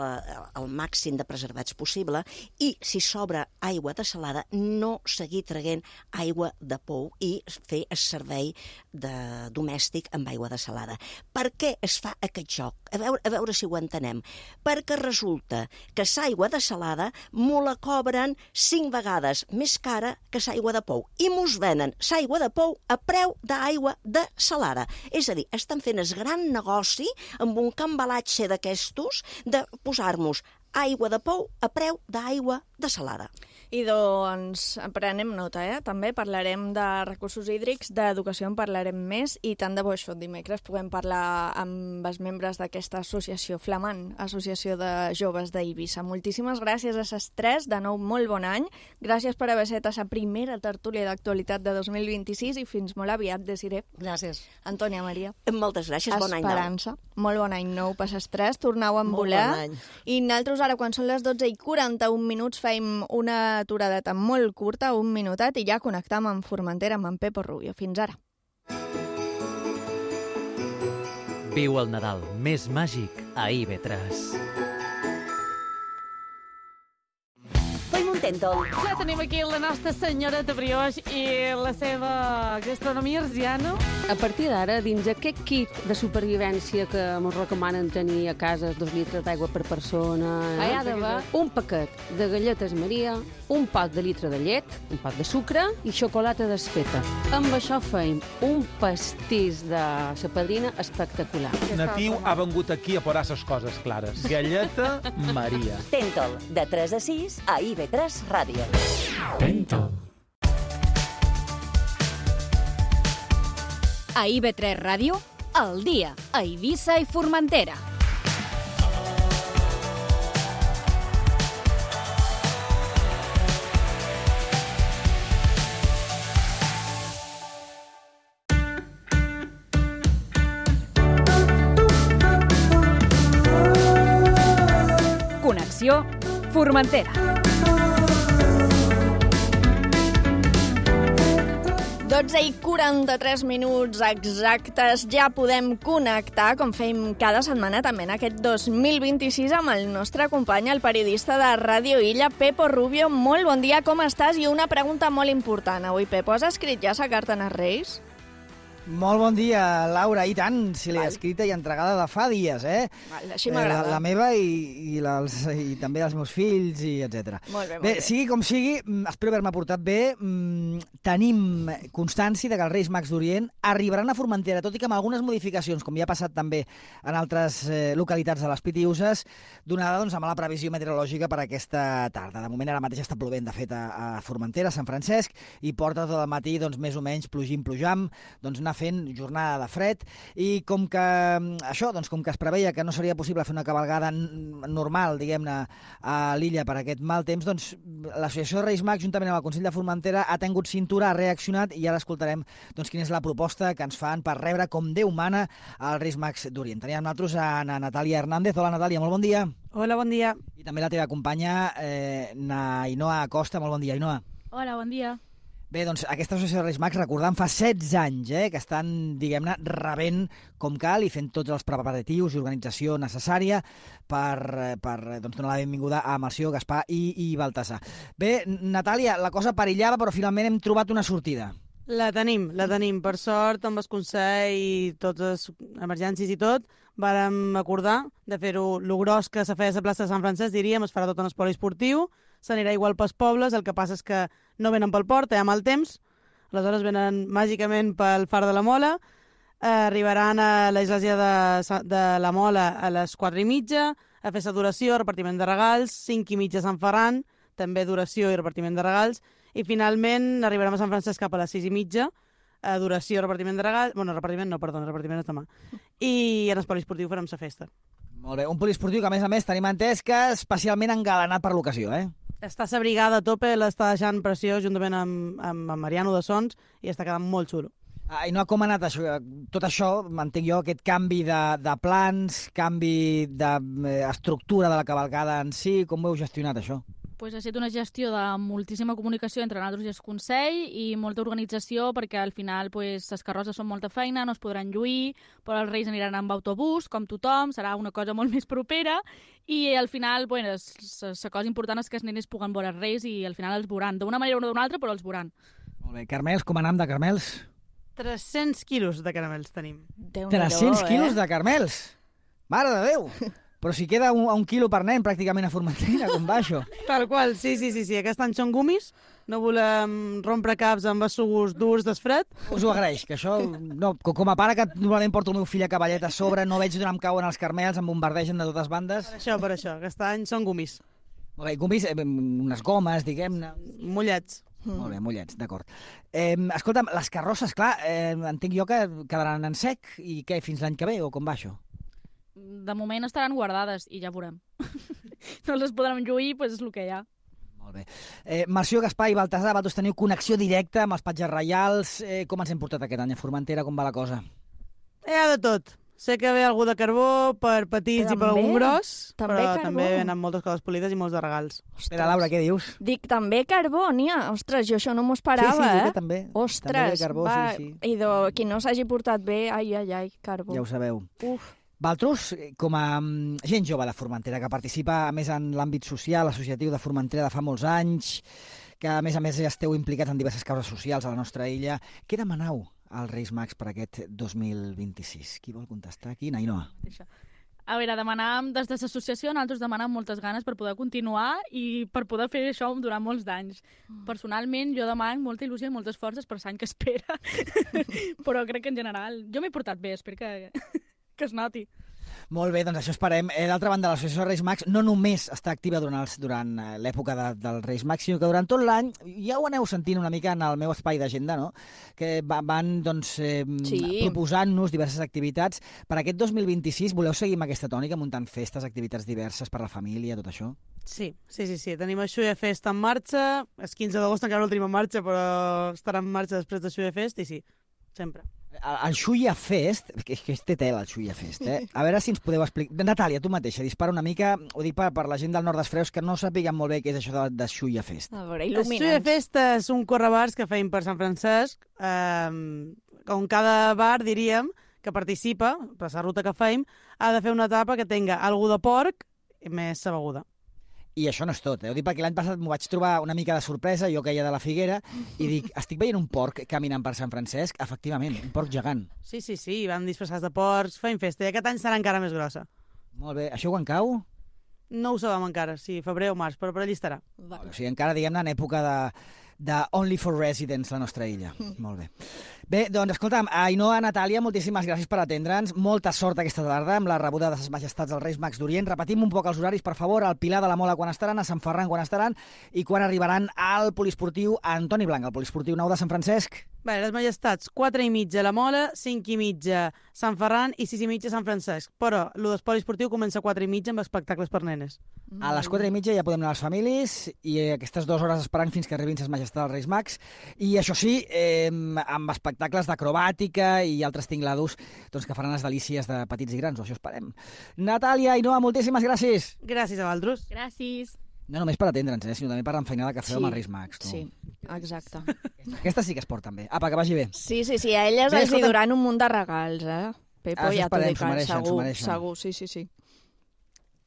al màxim de preservats possible i, si sobra aigua dessalada, no seguir traient aigua de pou i fer el servei de, domèstic amb aigua dessalada. Per què es fa aquest joc? A veure, a veure si ho entenem. Perquè resulta que l'aigua dessalada m'ho la cobren cinc vegades més cara que l'aigua de pou i mos venen l'aigua de pou a preu d'aigua dessalada. És a dir, estan fent el gran negoci amb un cambalatge d'aquestos de posar-nos aigua de pou a preu d'aigua dessalada. I doncs prenem nota, eh? També parlarem de recursos hídrics, d'educació en parlarem més i tant de bo això dimecres puguem parlar amb els membres d'aquesta associació flamant, Associació de Joves d'Eivissa. Moltíssimes gràcies a ses tres, de nou molt bon any. Gràcies per haver set a la primera tertúlia d'actualitat de dos mil vint-i-sis i fins molt aviat, Desiré. Gràcies. Antònia Maria. Moltes gràcies, bon any nou. Esperança, molt bon any nou per ses tres, tornau a volar. Bon any. I nosaltres ara, quan són les dotze i quaranta-un minuts, feim una aturadeta molt curta, un minutet, i ja connectam amb Formentera amb en Pepo Rubio. Fins ara. Viu el Nadal més màgic a I V tres. Ja tenim aquí la nostra senyoreta Brioix i la seva gastronomia arsiana. A partir d'ara, dins aquest kit de supervivència que ens recomanen tenir a casa, dos litres d'aigua per persona, eh? Hi ha d'haver un paquet de galletes Maria, un pot de litre de llet, un pot de sucre i xocolata desfeta. Amb això feim un pastís de la padrina espectacular. Natiu ha vengut aquí a posar les coses clares. Galleta Maria. Tentol, de tres a sis, a I V tres Ràdio. Tentol. A I V tres Ràdio, al dia, a Eivissa i Formentera. Connexió Formentera. dotze i quaranta-tres minuts exactes, ja podem connectar, com fem cada setmana també en aquest dos mil vint-i-sis, amb el nostre company, el periodista de Ràdio Illa, Pepo Rubio. Molt bon dia, com estàs? I una pregunta molt important avui, Pepo. Has escrit ja la carta als Reis? Molt bon dia, Laura. I tant, si l'he escrita i entregada de fa dies, eh? Val, així m'agrada. Eh, la, la meva i, i, les, i també els meus fills, i etcètera. Molt bé, molt bé. bé. Sigui com sigui, espero haver-me portat bé. Tenim constància de que els Reis Mags d'Orient arribaran a Formentera, tot i que amb algunes modificacions, com ja ha passat també en altres eh, localitats de les Pitiuses, donada doncs, amb la previsió meteorològica per aquesta tarda. De moment ara mateix està plovent, de fet, a, a Formentera, a Sant Francesc, i porta tot el matí, doncs, més o menys, plogim, plujam, doncs anar fent jornada de fred, i com que això, doncs com que es preveia que no seria possible fer una cavalgada normal, diguem-ne, a l'illa per aquest mal temps, doncs l'Associació de Reis Mags, juntament amb el Consell de Formentera, ha tingut cintura, ha reaccionat, i ara escoltarem doncs quina és la proposta que ens fan per rebre com Déu mana als Reis Mags d'Orient. Tenim amb nosaltres a Natàlia Hernández. Hola, Natàlia, molt bon dia. Hola, bon dia. I també la teva companya, eh, Ainhoa Acosta. Molt bon dia, Ainhoa. Hola, bon dia. Bé, doncs aquesta associació de Reis Mags, recordant, fa setze anys eh, que estan, diguem-ne, rebent com cal i fent tots els preparatius i organització necessària per, per doncs, donar la benvinguda a Melcior, Gaspar i, i Baltasar. Bé, Natàlia, la cosa perillava, però finalment hem trobat una sortida. La tenim, la tenim. Per sort, amb el Consell i totes les emergències i tot, vàrem acordar de fer-ho lo gros que s'ha fet a la plaça de Sant Francesc, diríem, es farà tot en el poliesportiu, s'anirà igual pels pobles, el que passa és que no venen pel port, hi ha mal temps, aleshores venen màgicament pel Far de la Mola, eh, arribaran a l'església de, de la Mola a les quatre i mitja, a fer l'adoració, repartiment de regals, cinc i mitja a Sant Ferran, també adoració i repartiment de regals, i finalment arribarem a Sant Francesc cap a les sis i mitja, adoració, repartiment de regals, bueno, repartiment no, perdona, repartiment és demà, i en el poliesportiu farem la festa. Molt bé, un poliesportiu que a més a més tenim entès que és especialment engalanat per l'ocasió, eh? Està la brigada a tope, l'està deixant preciós juntament amb, amb, amb Mariano de Sons i està quedant molt xulo. Ah, I no, com ha anat això? Tot això, m'entenc jo, aquest canvi de, de plans, canvi d'estructura de, de la cavalcada en si, com ho heu gestionat, això? Pues ha estat una gestió de moltíssima comunicació entre nosaltres i el Consell i molta organització perquè al final pues, les carrosses són molta feina, no es podran lluir, però els Reis aniran amb autobús, com tothom, serà una cosa molt més propera i al final bueno, la cosa important és que els nenes puguen veure els Reis i al final els veuran, d'una manera o d'una altra, però els veuran. Molt bé, Carmels, com anam de Carmels? tres-cents quilos de caramels tenim. tres-cents quilos eh? de Carmels? Mare de Déu! Però si queda un, un quilo per nen pràcticament a Formentera, com va això? Tal qual, sí, sí, sí, sí. Aquest any són gumis, no volem rompre caps amb els sucs durs d'esfred. Us ho agraeix, que això, no, com a pare que normalment porto el meu fill a cavallet a sobre, no veig d'on em cauen els carmels, em bombardegen de totes bandes. Per això, per això, aquest any són gumis. Molt bé, gumis, eh, unes gomes, diguem-ne. Mullets. Mm. Molt bé, mullets, d'acord. Eh, escolta'm, les carrosses, clar, eh, entenc jo que quedaran en sec, i què, fins l'any que ve, o com va això? De moment estaran guardades i ja veurem. No les podran lluir, doncs és el que hi ha. Molt bé. Eh, Melcior, Gaspar i Baltasar, vosaltres teniu connexió directa amb els patges reials. Eh, com ens hem portat aquest any a Formentera? Com va la cosa? Hi ha de tot. Sé que ve algú de carbó per petits també, i per algun gros, també però carbó. També venen moltes coses polides i molts de regals. Espera, Laura, què dius? Dic, també carbó, n'hi ha. Ostres, jo això no m'ho esperava, sí, sí, eh? Sí, també. Ostres, també carbó, va. Sí, sí. I de, qui no s'hagi portat bé, ai, ai, ai, carbó. Ja ho sabeu. Uf. Valtros, com a gent jove de Formentera, que participa a més en l'àmbit social, associatiu de Formentera de fa molts anys, que a més a més esteu implicats en diverses causes socials a la nostra illa, què demanau als Reis Mags per aquest dos mil vint-i-sis? Qui vol contestar aquí? Ainhoa. A veure, demanàvem, des de l'associació, nosaltres demanàvem moltes ganes per poder continuar i per poder fer això durant molts d'anys. Personalment, jo demano molta il·lusió i moltes forces per l'any que espera, però crec que en general jo m'he portat bé, espero que... que es noti. Molt bé, doncs això esperem. Eh, D'altra banda, l'Associació de Reis Mags no només està activa durant, els, durant l'època de, dels Reis Mags, sinó que durant tot l'any, ja ho aneu sentint una mica en el meu espai d'agenda, no? Que van doncs, eh, sí. proposant-nos diverses activitats. Per aquest dos mil vint-i-sis voleu seguir amb aquesta tònica, muntant festes, activitats diverses per la família, tot això? Sí, sí, sí. sí. Tenim el Xulla Fest en marxa. El quinze d'agost encara no el tenim en marxa, però estarà en marxa després del Xulla Fest, i sí, sempre. El, el Xulla Fest, que, que té tela el Xulla Fest, eh? A veure si ens podeu explicar. Natàlia, tu mateixa, dispara una mica, ho dic per, per la gent del nord dels Freus que no sàpiguen molt bé què és això de, de Xulla Fest. A veure, il·lumina'ns. El Xulla Fest és un correbars que feim per Sant Francesc, eh, on cada bar, diríem, que participa, per la ruta que feim, ha de fer una etapa que tenga algú de porc i més sa beguda. I això no és tot, eh? Ho dic perquè l'any passat m'ho vaig trobar una mica de sorpresa, jo que hi ha de la Figuera, i dic, estic veient un porc caminant per Sant Francesc? Efectivament, un porc gegant. Sí, sí, sí, van disfressats de porcs, feim festa, i aquest any serà encara més grossa. Molt bé. Això quan cau? No ho sabem encara, sí, febrer o març, però per allà estarà. O sigui, encara, diguem-ne, en època de, de Only for Residents, la nostra illa. Molt bé. Bé, doncs, escolta'm, Ainhoa, Natàlia, moltíssimes gràcies per atendre'ns. Molta sort aquesta tarda amb la rebuda de ses majestats dels Reis Mags d'Orient. Repetim un poc els horaris, per favor, al Pilar de la Mola quan estaran, a Sant Ferran quan estaran i quan arribaran al poliesportiu Antoni Blanc, al poliesportiu nou de Sant Francesc. Bé, les majestats, quatre i mitja la Mola, cinc i mitja Sant Ferran i sis i mitja Sant Francesc. Però el d'esport esportiu comença a quatre i mitja amb espectacles per nenes. A les quatre i mitja ja podem anar a les famílies i aquestes dues hores esperant fins que arribin ses majestats dels Reis Mags. I això sí, eh, amb espectacles d'acrobàtica i altres tinglados doncs, que faran les delícies de petits i grans, o això esperem. Natàlia, Ainhoa, moltíssimes gràcies. Gràcies a vosaltres. Gràcies. No només per atendre'ns, eh, sinó també per l'enfeinada que feu Sí, amb els Reis Mags. Tu. Sí, exacte. Aquesta sí que es porta bé. Apa, que vagi bé. Sí, sí, sí, a elles Bé, els hi escolta- duran un munt de regals, eh? Pepo, Això ja t'ho esperem, dic, s'ho mereixen, s'ho segur, mereixen. segur, sí, sí, sí.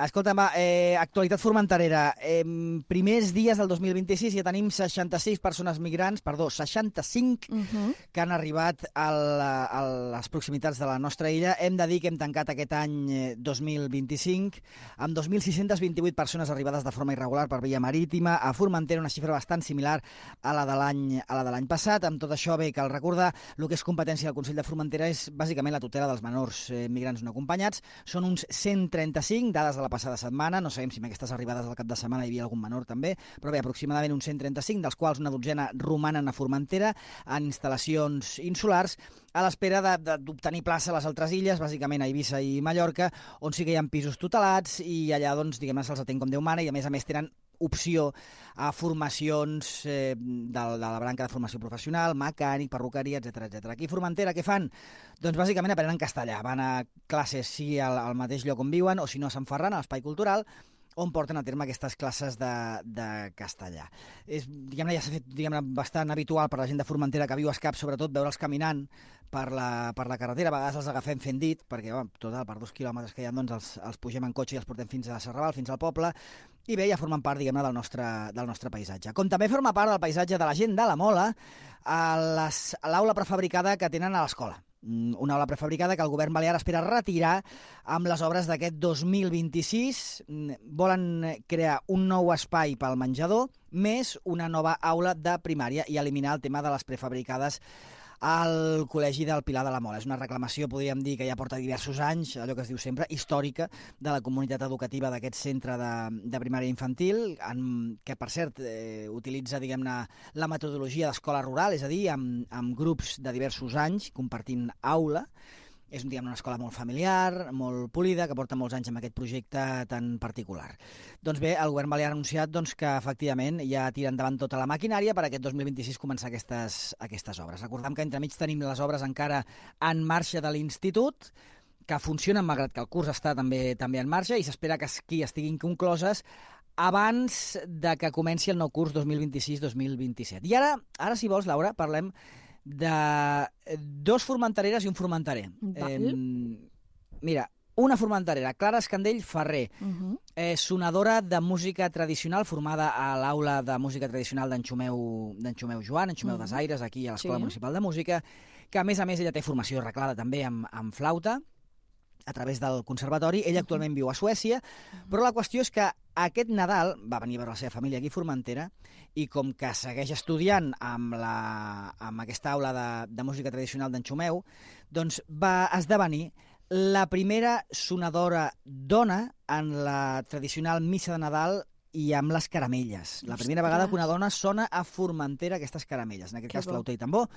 Escolta'm, va, eh, actualitat formenterera. Eh, primers dies del dos mil vint-i-sis ja tenim seixanta-sis persones migrants, perdó, seixanta-cinc, Uh -huh. que han arribat a, la, a les proximitats de la nostra illa. Hem de dir que hem tancat aquest any eh, dos mil vint-i-cinc amb dos mil sis-centes vint-i-vuit persones arribades de forma irregular per via marítima. A Formentera una xifra bastant similar a la de l'any a la de l'any passat. Amb tot això, bé, cal recordar el que és competència del Consell de Formentera és bàsicament la tutela dels menors eh, migrants no acompanyats. Són uns cent trenta-cinc, dades de la passada setmana. No sabem si amb aquestes arribades del cap de setmana hi havia algun menor també, però bé, aproximadament uns cent trenta-cinc, dels quals una dotzena romanen a Formentera en instal·lacions insulars, a l'espera d'obtenir plaça a les altres illes, bàsicament a Eivissa i Mallorca, on sí que hi ha pisos tutelats i allà, doncs, diguem-ne, se'ls atén com Déu mana i, a més a més, tenen opció a formacions eh, de, de la branca de formació professional, mecànic, perruqueria, etcètera, etcètera. Aquí a Formentera què fan? Doncs bàsicament aprenen castellà. Van a classes sí al, al mateix lloc on viuen o si no a Sant Ferran, a l'Espai Cultural, on porten a terme aquestes classes de, de castellà. És, diguem-ne, ja s'ha fet diguem-ne, bastant habitual per la gent de Formentera que viu a Escap, sobretot veure'ls caminant per la, per la carretera. A vegades els agafem fent dit, perquè bueno, total, per dos quilòmetres que hi ha doncs els, els pugem en cotxe i els portem fins a Serraval, fins al poble, i bé, ja formen part, diguem-ne, del nostre, del nostre paisatge. Com també forma part del paisatge de la gent de la Mola, a l'aula prefabricada que tenen a l'escola. Una aula prefabricada que el govern balear espera retirar amb les obres d'aquest dos mil vint-i-sis. Volen crear un nou espai pel menjador, més una nova aula de primària i eliminar el tema de les prefabricades al Col·legi del Pilar de la Mola. És una reclamació, podríem dir, que ja porta diversos anys, allò que es diu sempre, històrica, de la comunitat educativa d'aquest centre de, de primària infantil, en, que, per cert, eh, utilitza, diguem-ne, la metodologia d'escola rural, és a dir, amb, amb grups de diversos anys compartint aula. És diguem, una escola molt familiar, molt polida, que porta molts anys amb aquest projecte tan particular. Doncs bé, el govern balear ha anunciat doncs, que efectivament ja tira endavant tota la maquinària per aquest dos mil vint-i-sis començar aquestes, aquestes obres. Recordem que entremig tenim les obres encara en marxa de l'institut, que funcionen malgrat que el curs està també també en marxa i s'espera que aquí estiguin concloses abans de que comenci el nou curs dos mil vint-i-sis dos mil vint-i-set. I ara, ara si vols, Laura, parlem de dos formentereres i un formenterer. Eh, mira, una formenterera, Clara Escandell Ferrer, uh -huh. eh, sonadora de música tradicional formada a l'aula de música tradicional d'en Xumeu, d'en Xumeu Joan, en Xumeu uh -huh. Desaires, aquí a l'Escola sí. Municipal de Música, que a més a més ella té formació reglada també amb, amb flauta, a través del conservatori. Ella actualment viu a Suècia, però la qüestió és que aquest Nadal va venir a veure la seva família aquí a Formentera i com que segueix estudiant amb, la, amb aquesta aula de, de música tradicional d'en Xumeu, doncs va esdevenir la primera sonadora dona en la tradicional missa de Nadal i amb les caramelles. La primera vegada que una dona sona a Formentera aquestes caramelles, en aquest que cas bo. Flauta i tambor.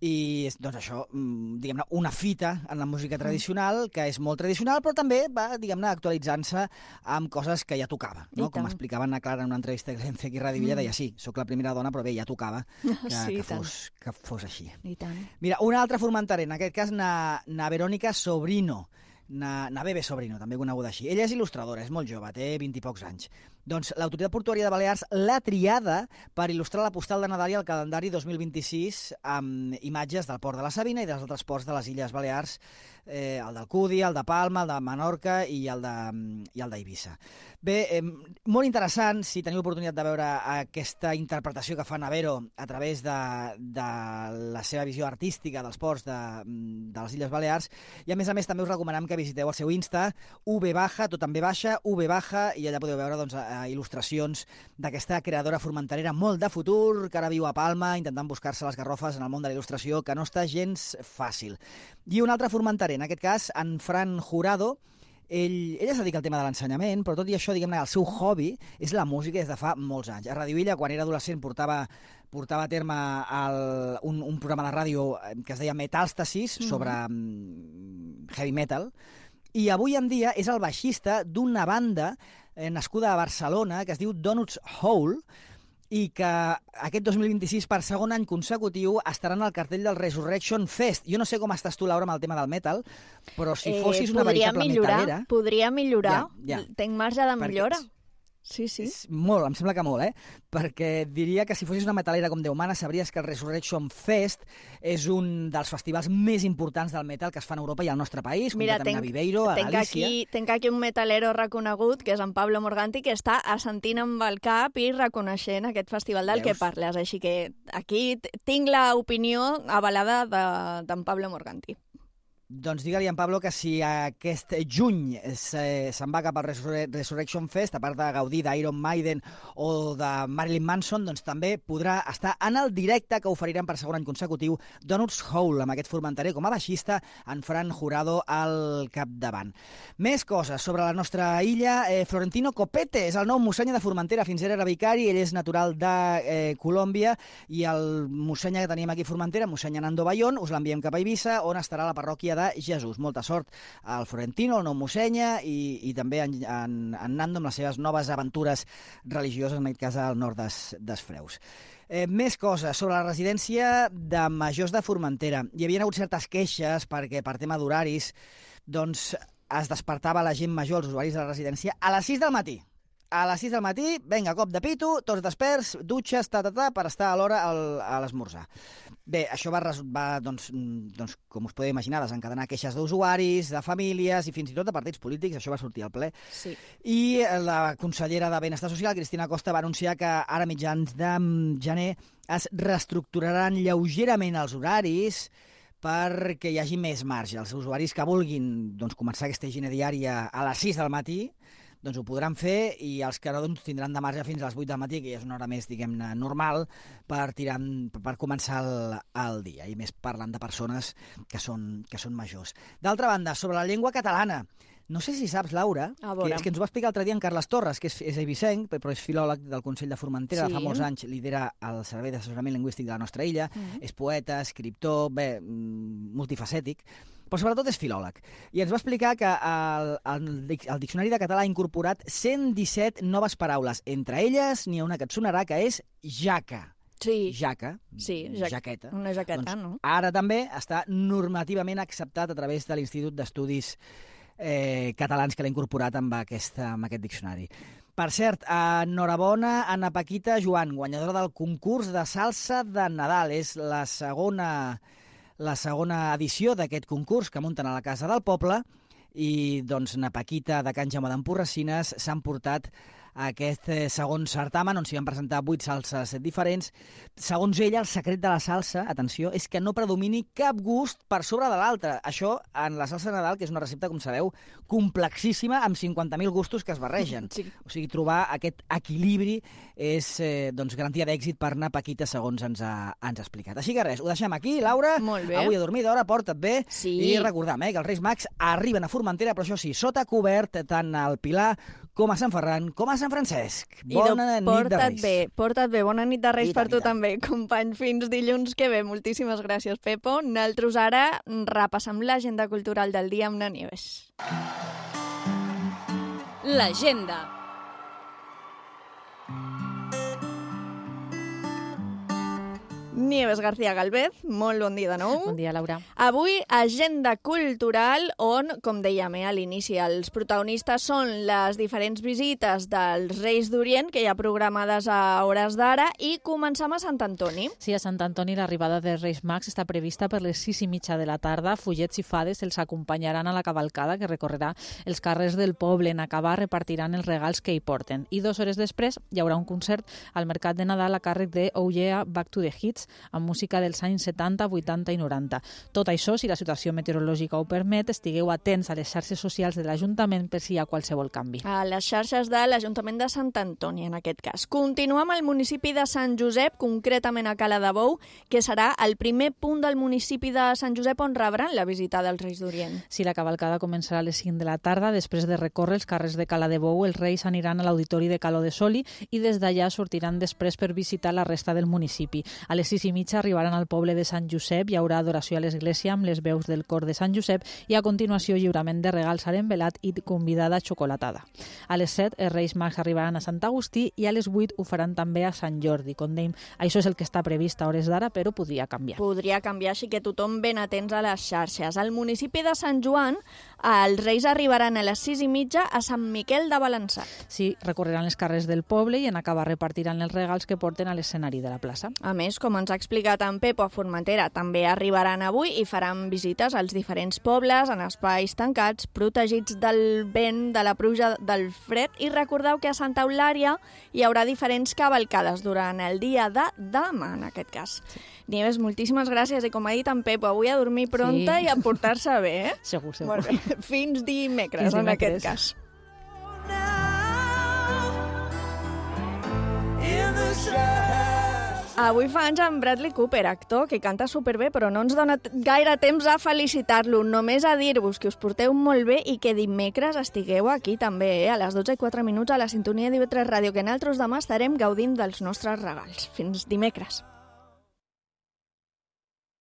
I doncs això, diguem-ne, una fita en la música tradicional, que és molt tradicional, però també va, diguem-ne, actualitzant-se amb coses que ja tocava, no? Com explicaven a Clara en una entrevista que vam fer aquí a Ràdio Villa, deia, sí, sóc la primera dona, però bé, ja tocava que, sí, que, fos, que fos així. I tant. Mira, una altra formenterera, en aquest cas, na, na Verònica Sobrino, na, na Bebe Sobrino, també coneguda així. Ella és il·lustradora, és molt jove, té vint i pocs anys. Doncs l'Autoritat Portuària de Balears l'ha triada per il·lustrar la postal de Nadal i el calendari dos mil vint-i-sis amb imatges del port de la Sabina i dels altres ports de les Illes Balears, eh, el d'Alcúdia, el de Palma, el de Menorca i el de, i el d'Eivissa. Bé, eh, molt interessant, si teniu oportunitat de veure aquesta interpretació que fa Navero a través de, de la seva visió artística dels ports de, de les Illes Balears, i a més a més també us recomanem que visiteu el seu Insta, ub baja, tot també baixa, ub baja, i allà podeu veure doncs, il·lustracions d'aquesta creadora formenterera molt de futur, que ara viu a Palma, intentant buscar-se les garrofes en el món de la il·lustració, que no està gens fàcil. I un altre formenterer, en aquest cas, en Fran Jurado. Ell, ella es dedica al tema de l'ensenyament, però tot i això, diguem-ne, el seu hobby és la música des de fa molts anys. A Ràdio Illa, quan era adolescent, portava, portava a terme el, un, un programa de ràdio que es deia Metalstasis, sobre mm-hmm. heavy metal, i avui en dia és el baixista d'una banda eh, nascuda a Barcelona que es diu Donuts Hole, i que aquest dos mil vint-i-sis, per segon any consecutiu, estaran al cartell del Resurrection Fest. Jo no sé com estàs tu, Laura, amb el tema del metal, però si fossis eh, una veritable millorar, metalera... Podria millorar, ja, ja. Tenc marge de millora. Perquè... Sí, sí. És molt, em sembla que molt, eh? Perquè diria que si fossis una metalera com Déu mana, sabries que el Resurrection Fest és un dels festivals més importants del metal que es fan a Europa i al nostre país, Mira, concretament tenc, a Viveiro, a tenc Galícia. Aquí, tenc aquí un metalero reconegut, que és en Pablo Morganti, que està assentint amb el cap i reconeixent aquest festival del Veus? Que parles. Així que aquí tinc l'opinió avalada d'en de, Pablo Morganti. Doncs digue-li a en Pablo que si aquest juny se'n va cap al Resur Resurrection Fest, a part de gaudir d'Iron Maiden o de Marilyn Manson, doncs també podrà estar en el directe que oferiran per segon any consecutiu Donuts Hole, amb aquest formenterer com a baixista, en Fran Jurado al capdavant. Més coses sobre la nostra illa. Eh, Florentino Copete és el nou mossenya de Formentera, fins ara era vicari, ell és natural de eh, Colòmbia, i el mossenya que tenim aquí a Formentera, mossenya Nando Bayón, us l'enviem cap a Eivissa, on estarà la parròquia de Jesús. Molta sort al Florentino, el nou mossenya, i, i també en, en, en Nando amb les seves noves aventures religioses, en aquest cas al nord des, des Freus. Eh, més coses sobre la residència de majors de Formentera. Hi havia hagut certes queixes perquè per tema d'horaris doncs es despertava la gent major, els usuaris de la residència, a les sis del matí. A les sis del matí, vinga, cop de pito, tots desperts, dutxes, ta, ta, ta, per estar a l'hora a l'esmorzar. Bé, això va, va doncs, doncs, com us podeu imaginar, desencadenar queixes d'usuaris, de famílies i fins i tot de partits polítics. Això va sortir al ple. Sí. I la consellera de Benestar Social, Cristina Costa, va anunciar que ara mitjans de gener es reestructuraran lleugerament els horaris perquè hi hagi més marge. Els usuaris que vulguin doncs, començar aquesta higiene diària a les sis del matí doncs ho podran fer, i els que no doncs, tindran de marge fins a les vuit del matí, que ja és una hora més, diguem-ne, normal, per, tirar, per començar el, el dia, i més parlant de persones que són, que són majors. D'altra banda, sobre la llengua catalana, no sé si saps, Laura, que, és que ens ho va explicar l'altre dia en Carles Torres, que és, és eivissenc, però és filòleg del Consell de Formentera, sí. De fa molts anys lidera el Servei d'Assessorament Lingüístic de la nostra illa, mm. és poeta, escriptor, bé, multifacètic, però sobretot és filòleg. I ens va explicar que el, el, el Diccionari de Català ha incorporat cent disset noves paraules. Entre elles n'hi ha una que et sonarà, que és jaca. Sí. Jaca, sí, ja jaqueta. Una jaqueta, doncs, no? Ara també està normativament acceptat a través de l'Institut d'Estudis eh, Catalans, que l'ha incorporat amb, aquesta, amb aquest diccionari. Per cert, enhorabona a Ana Paquita Joan, guanyadora del concurs de salsa de Nadal. És la segona... la segona edició d'aquest concurs que munten a la Casa del Poble, i doncs na Paquita de Can Jaume d'Emporracines s'han portat a aquest segon certamen, on s'hi van presentar vuit salses diferents. Segons ella, el secret de la salsa, atenció, és que no predomini cap gust per sobre de l'altre. Això en la salsa de Nadal, que és una recepta, com sabeu, complexíssima, amb cinquanta mil gustos que es barregen. Sí. O sigui, trobar aquest equilibri és eh, doncs, garantia d'èxit per anar Paquita, segons ens ha, ens ha explicat. Així que res, ho deixem aquí, Laura. Molt bé. Avui a dormir d'hora, porta't bé. Sí. I recordem eh, que els Reis Mags arriben a Formentera, però això sí, sota cobert, tant al Pilar com a Sant Ferran, com a Sant Francesc. Bona nit de Reis. Bé, porta't bé, bona nit de Reis Vita, per tu vita. també, company. Fins dilluns que ve. Moltíssimes gràcies, Pepo. Nosaltres ara repassem l'agenda cultural del dia amb na Nieves. L'agenda. Nieves García Galvez, molt bon dia de nou. Bon dia, Laura. Avui, agenda cultural on, com dèiem eh, a l'inici, els protagonistes són les diferents visites dels Reis d'Orient que hi ha programades a hores d'ara i començam a Sant Antoni. Sí, a Sant Antoni l'arribada dels Reis Mags està prevista per les sis i mitja de la tarda. Fullets i fades els acompanyaran a la cavalcada que recorrerà els carrers del poble. En acabar repartiran els regals que hi porten. I dues hores després hi haurà un concert al Mercat de Nadal a càrrec de Oh Yeah, Back to the Hits, amb música dels anys setanta, vuitanta i noranta. Tot això, si la situació meteorològica ho permet, estigueu atents a les xarxes socials de l'Ajuntament per si hi ha qualsevol canvi. A les xarxes de l'Ajuntament de Sant Antoni, en aquest cas. Continuem al municipi de Sant Josep, concretament a Cala de Bou, que serà el primer punt del municipi de Sant Josep on rebran la visita dels Reis d'Orient. Si la cavalcada començarà a les cinc de la tarda, després de recórrer els carrers de Cala de Bou, els Reis aniran a l'Auditori de Caló de Soli i des d'allà sortiran després per visitar la resta del municipi. A les sis i mitja arribaran al poble de Sant Josep, hi haurà adoració a l'església amb les veus del cor de Sant Josep i a continuació lliurament de regals a l'envelat i convidada xocolatada. A les set els Reis Mags arribaran a Sant Agustí i a les vuit ho faran també a Sant Jordi. Com dèiem, això és el que està previst a hores d'ara, però podria canviar. Podria canviar, així que tothom ben atents a les xarxes. Al municipi de Sant Joan, els Reis arribaran a les sis i mitja a Sant Miquel de Balançat. Sí, recorreran els carrers del poble i en acabar repartiran els regals que porten a l'escenari de la plaça. A més, com ens ha explicat en Pepo a Formentera, també arribaran avui i faran visites als diferents pobles en espais tancats, protegits del vent, de la pluja, del fred, i recordeu que a Santa Eulària hi haurà diferents cavalcades durant el dia de demà, en aquest cas. Sí. Nieves, moltíssimes gràcies i com ha dit en Pepo, avui a dormir pronta sí. I a portar-se bé, eh? Segur, segur. Molt bé. Fins dimecres, Fins dimecres, en aquest cas. Avui fa anys en Bradley Cooper, actor que canta superbé, però no ens dona gaire temps a felicitar-lo. Només a dir-vos que us porteu molt bé i que dimecres estigueu aquí també, eh? A les dotze i quatre minuts a la sintonia d'I V tres Ràdio, que nosaltres demà estarem gaudint dels nostres regals. Fins dimecres.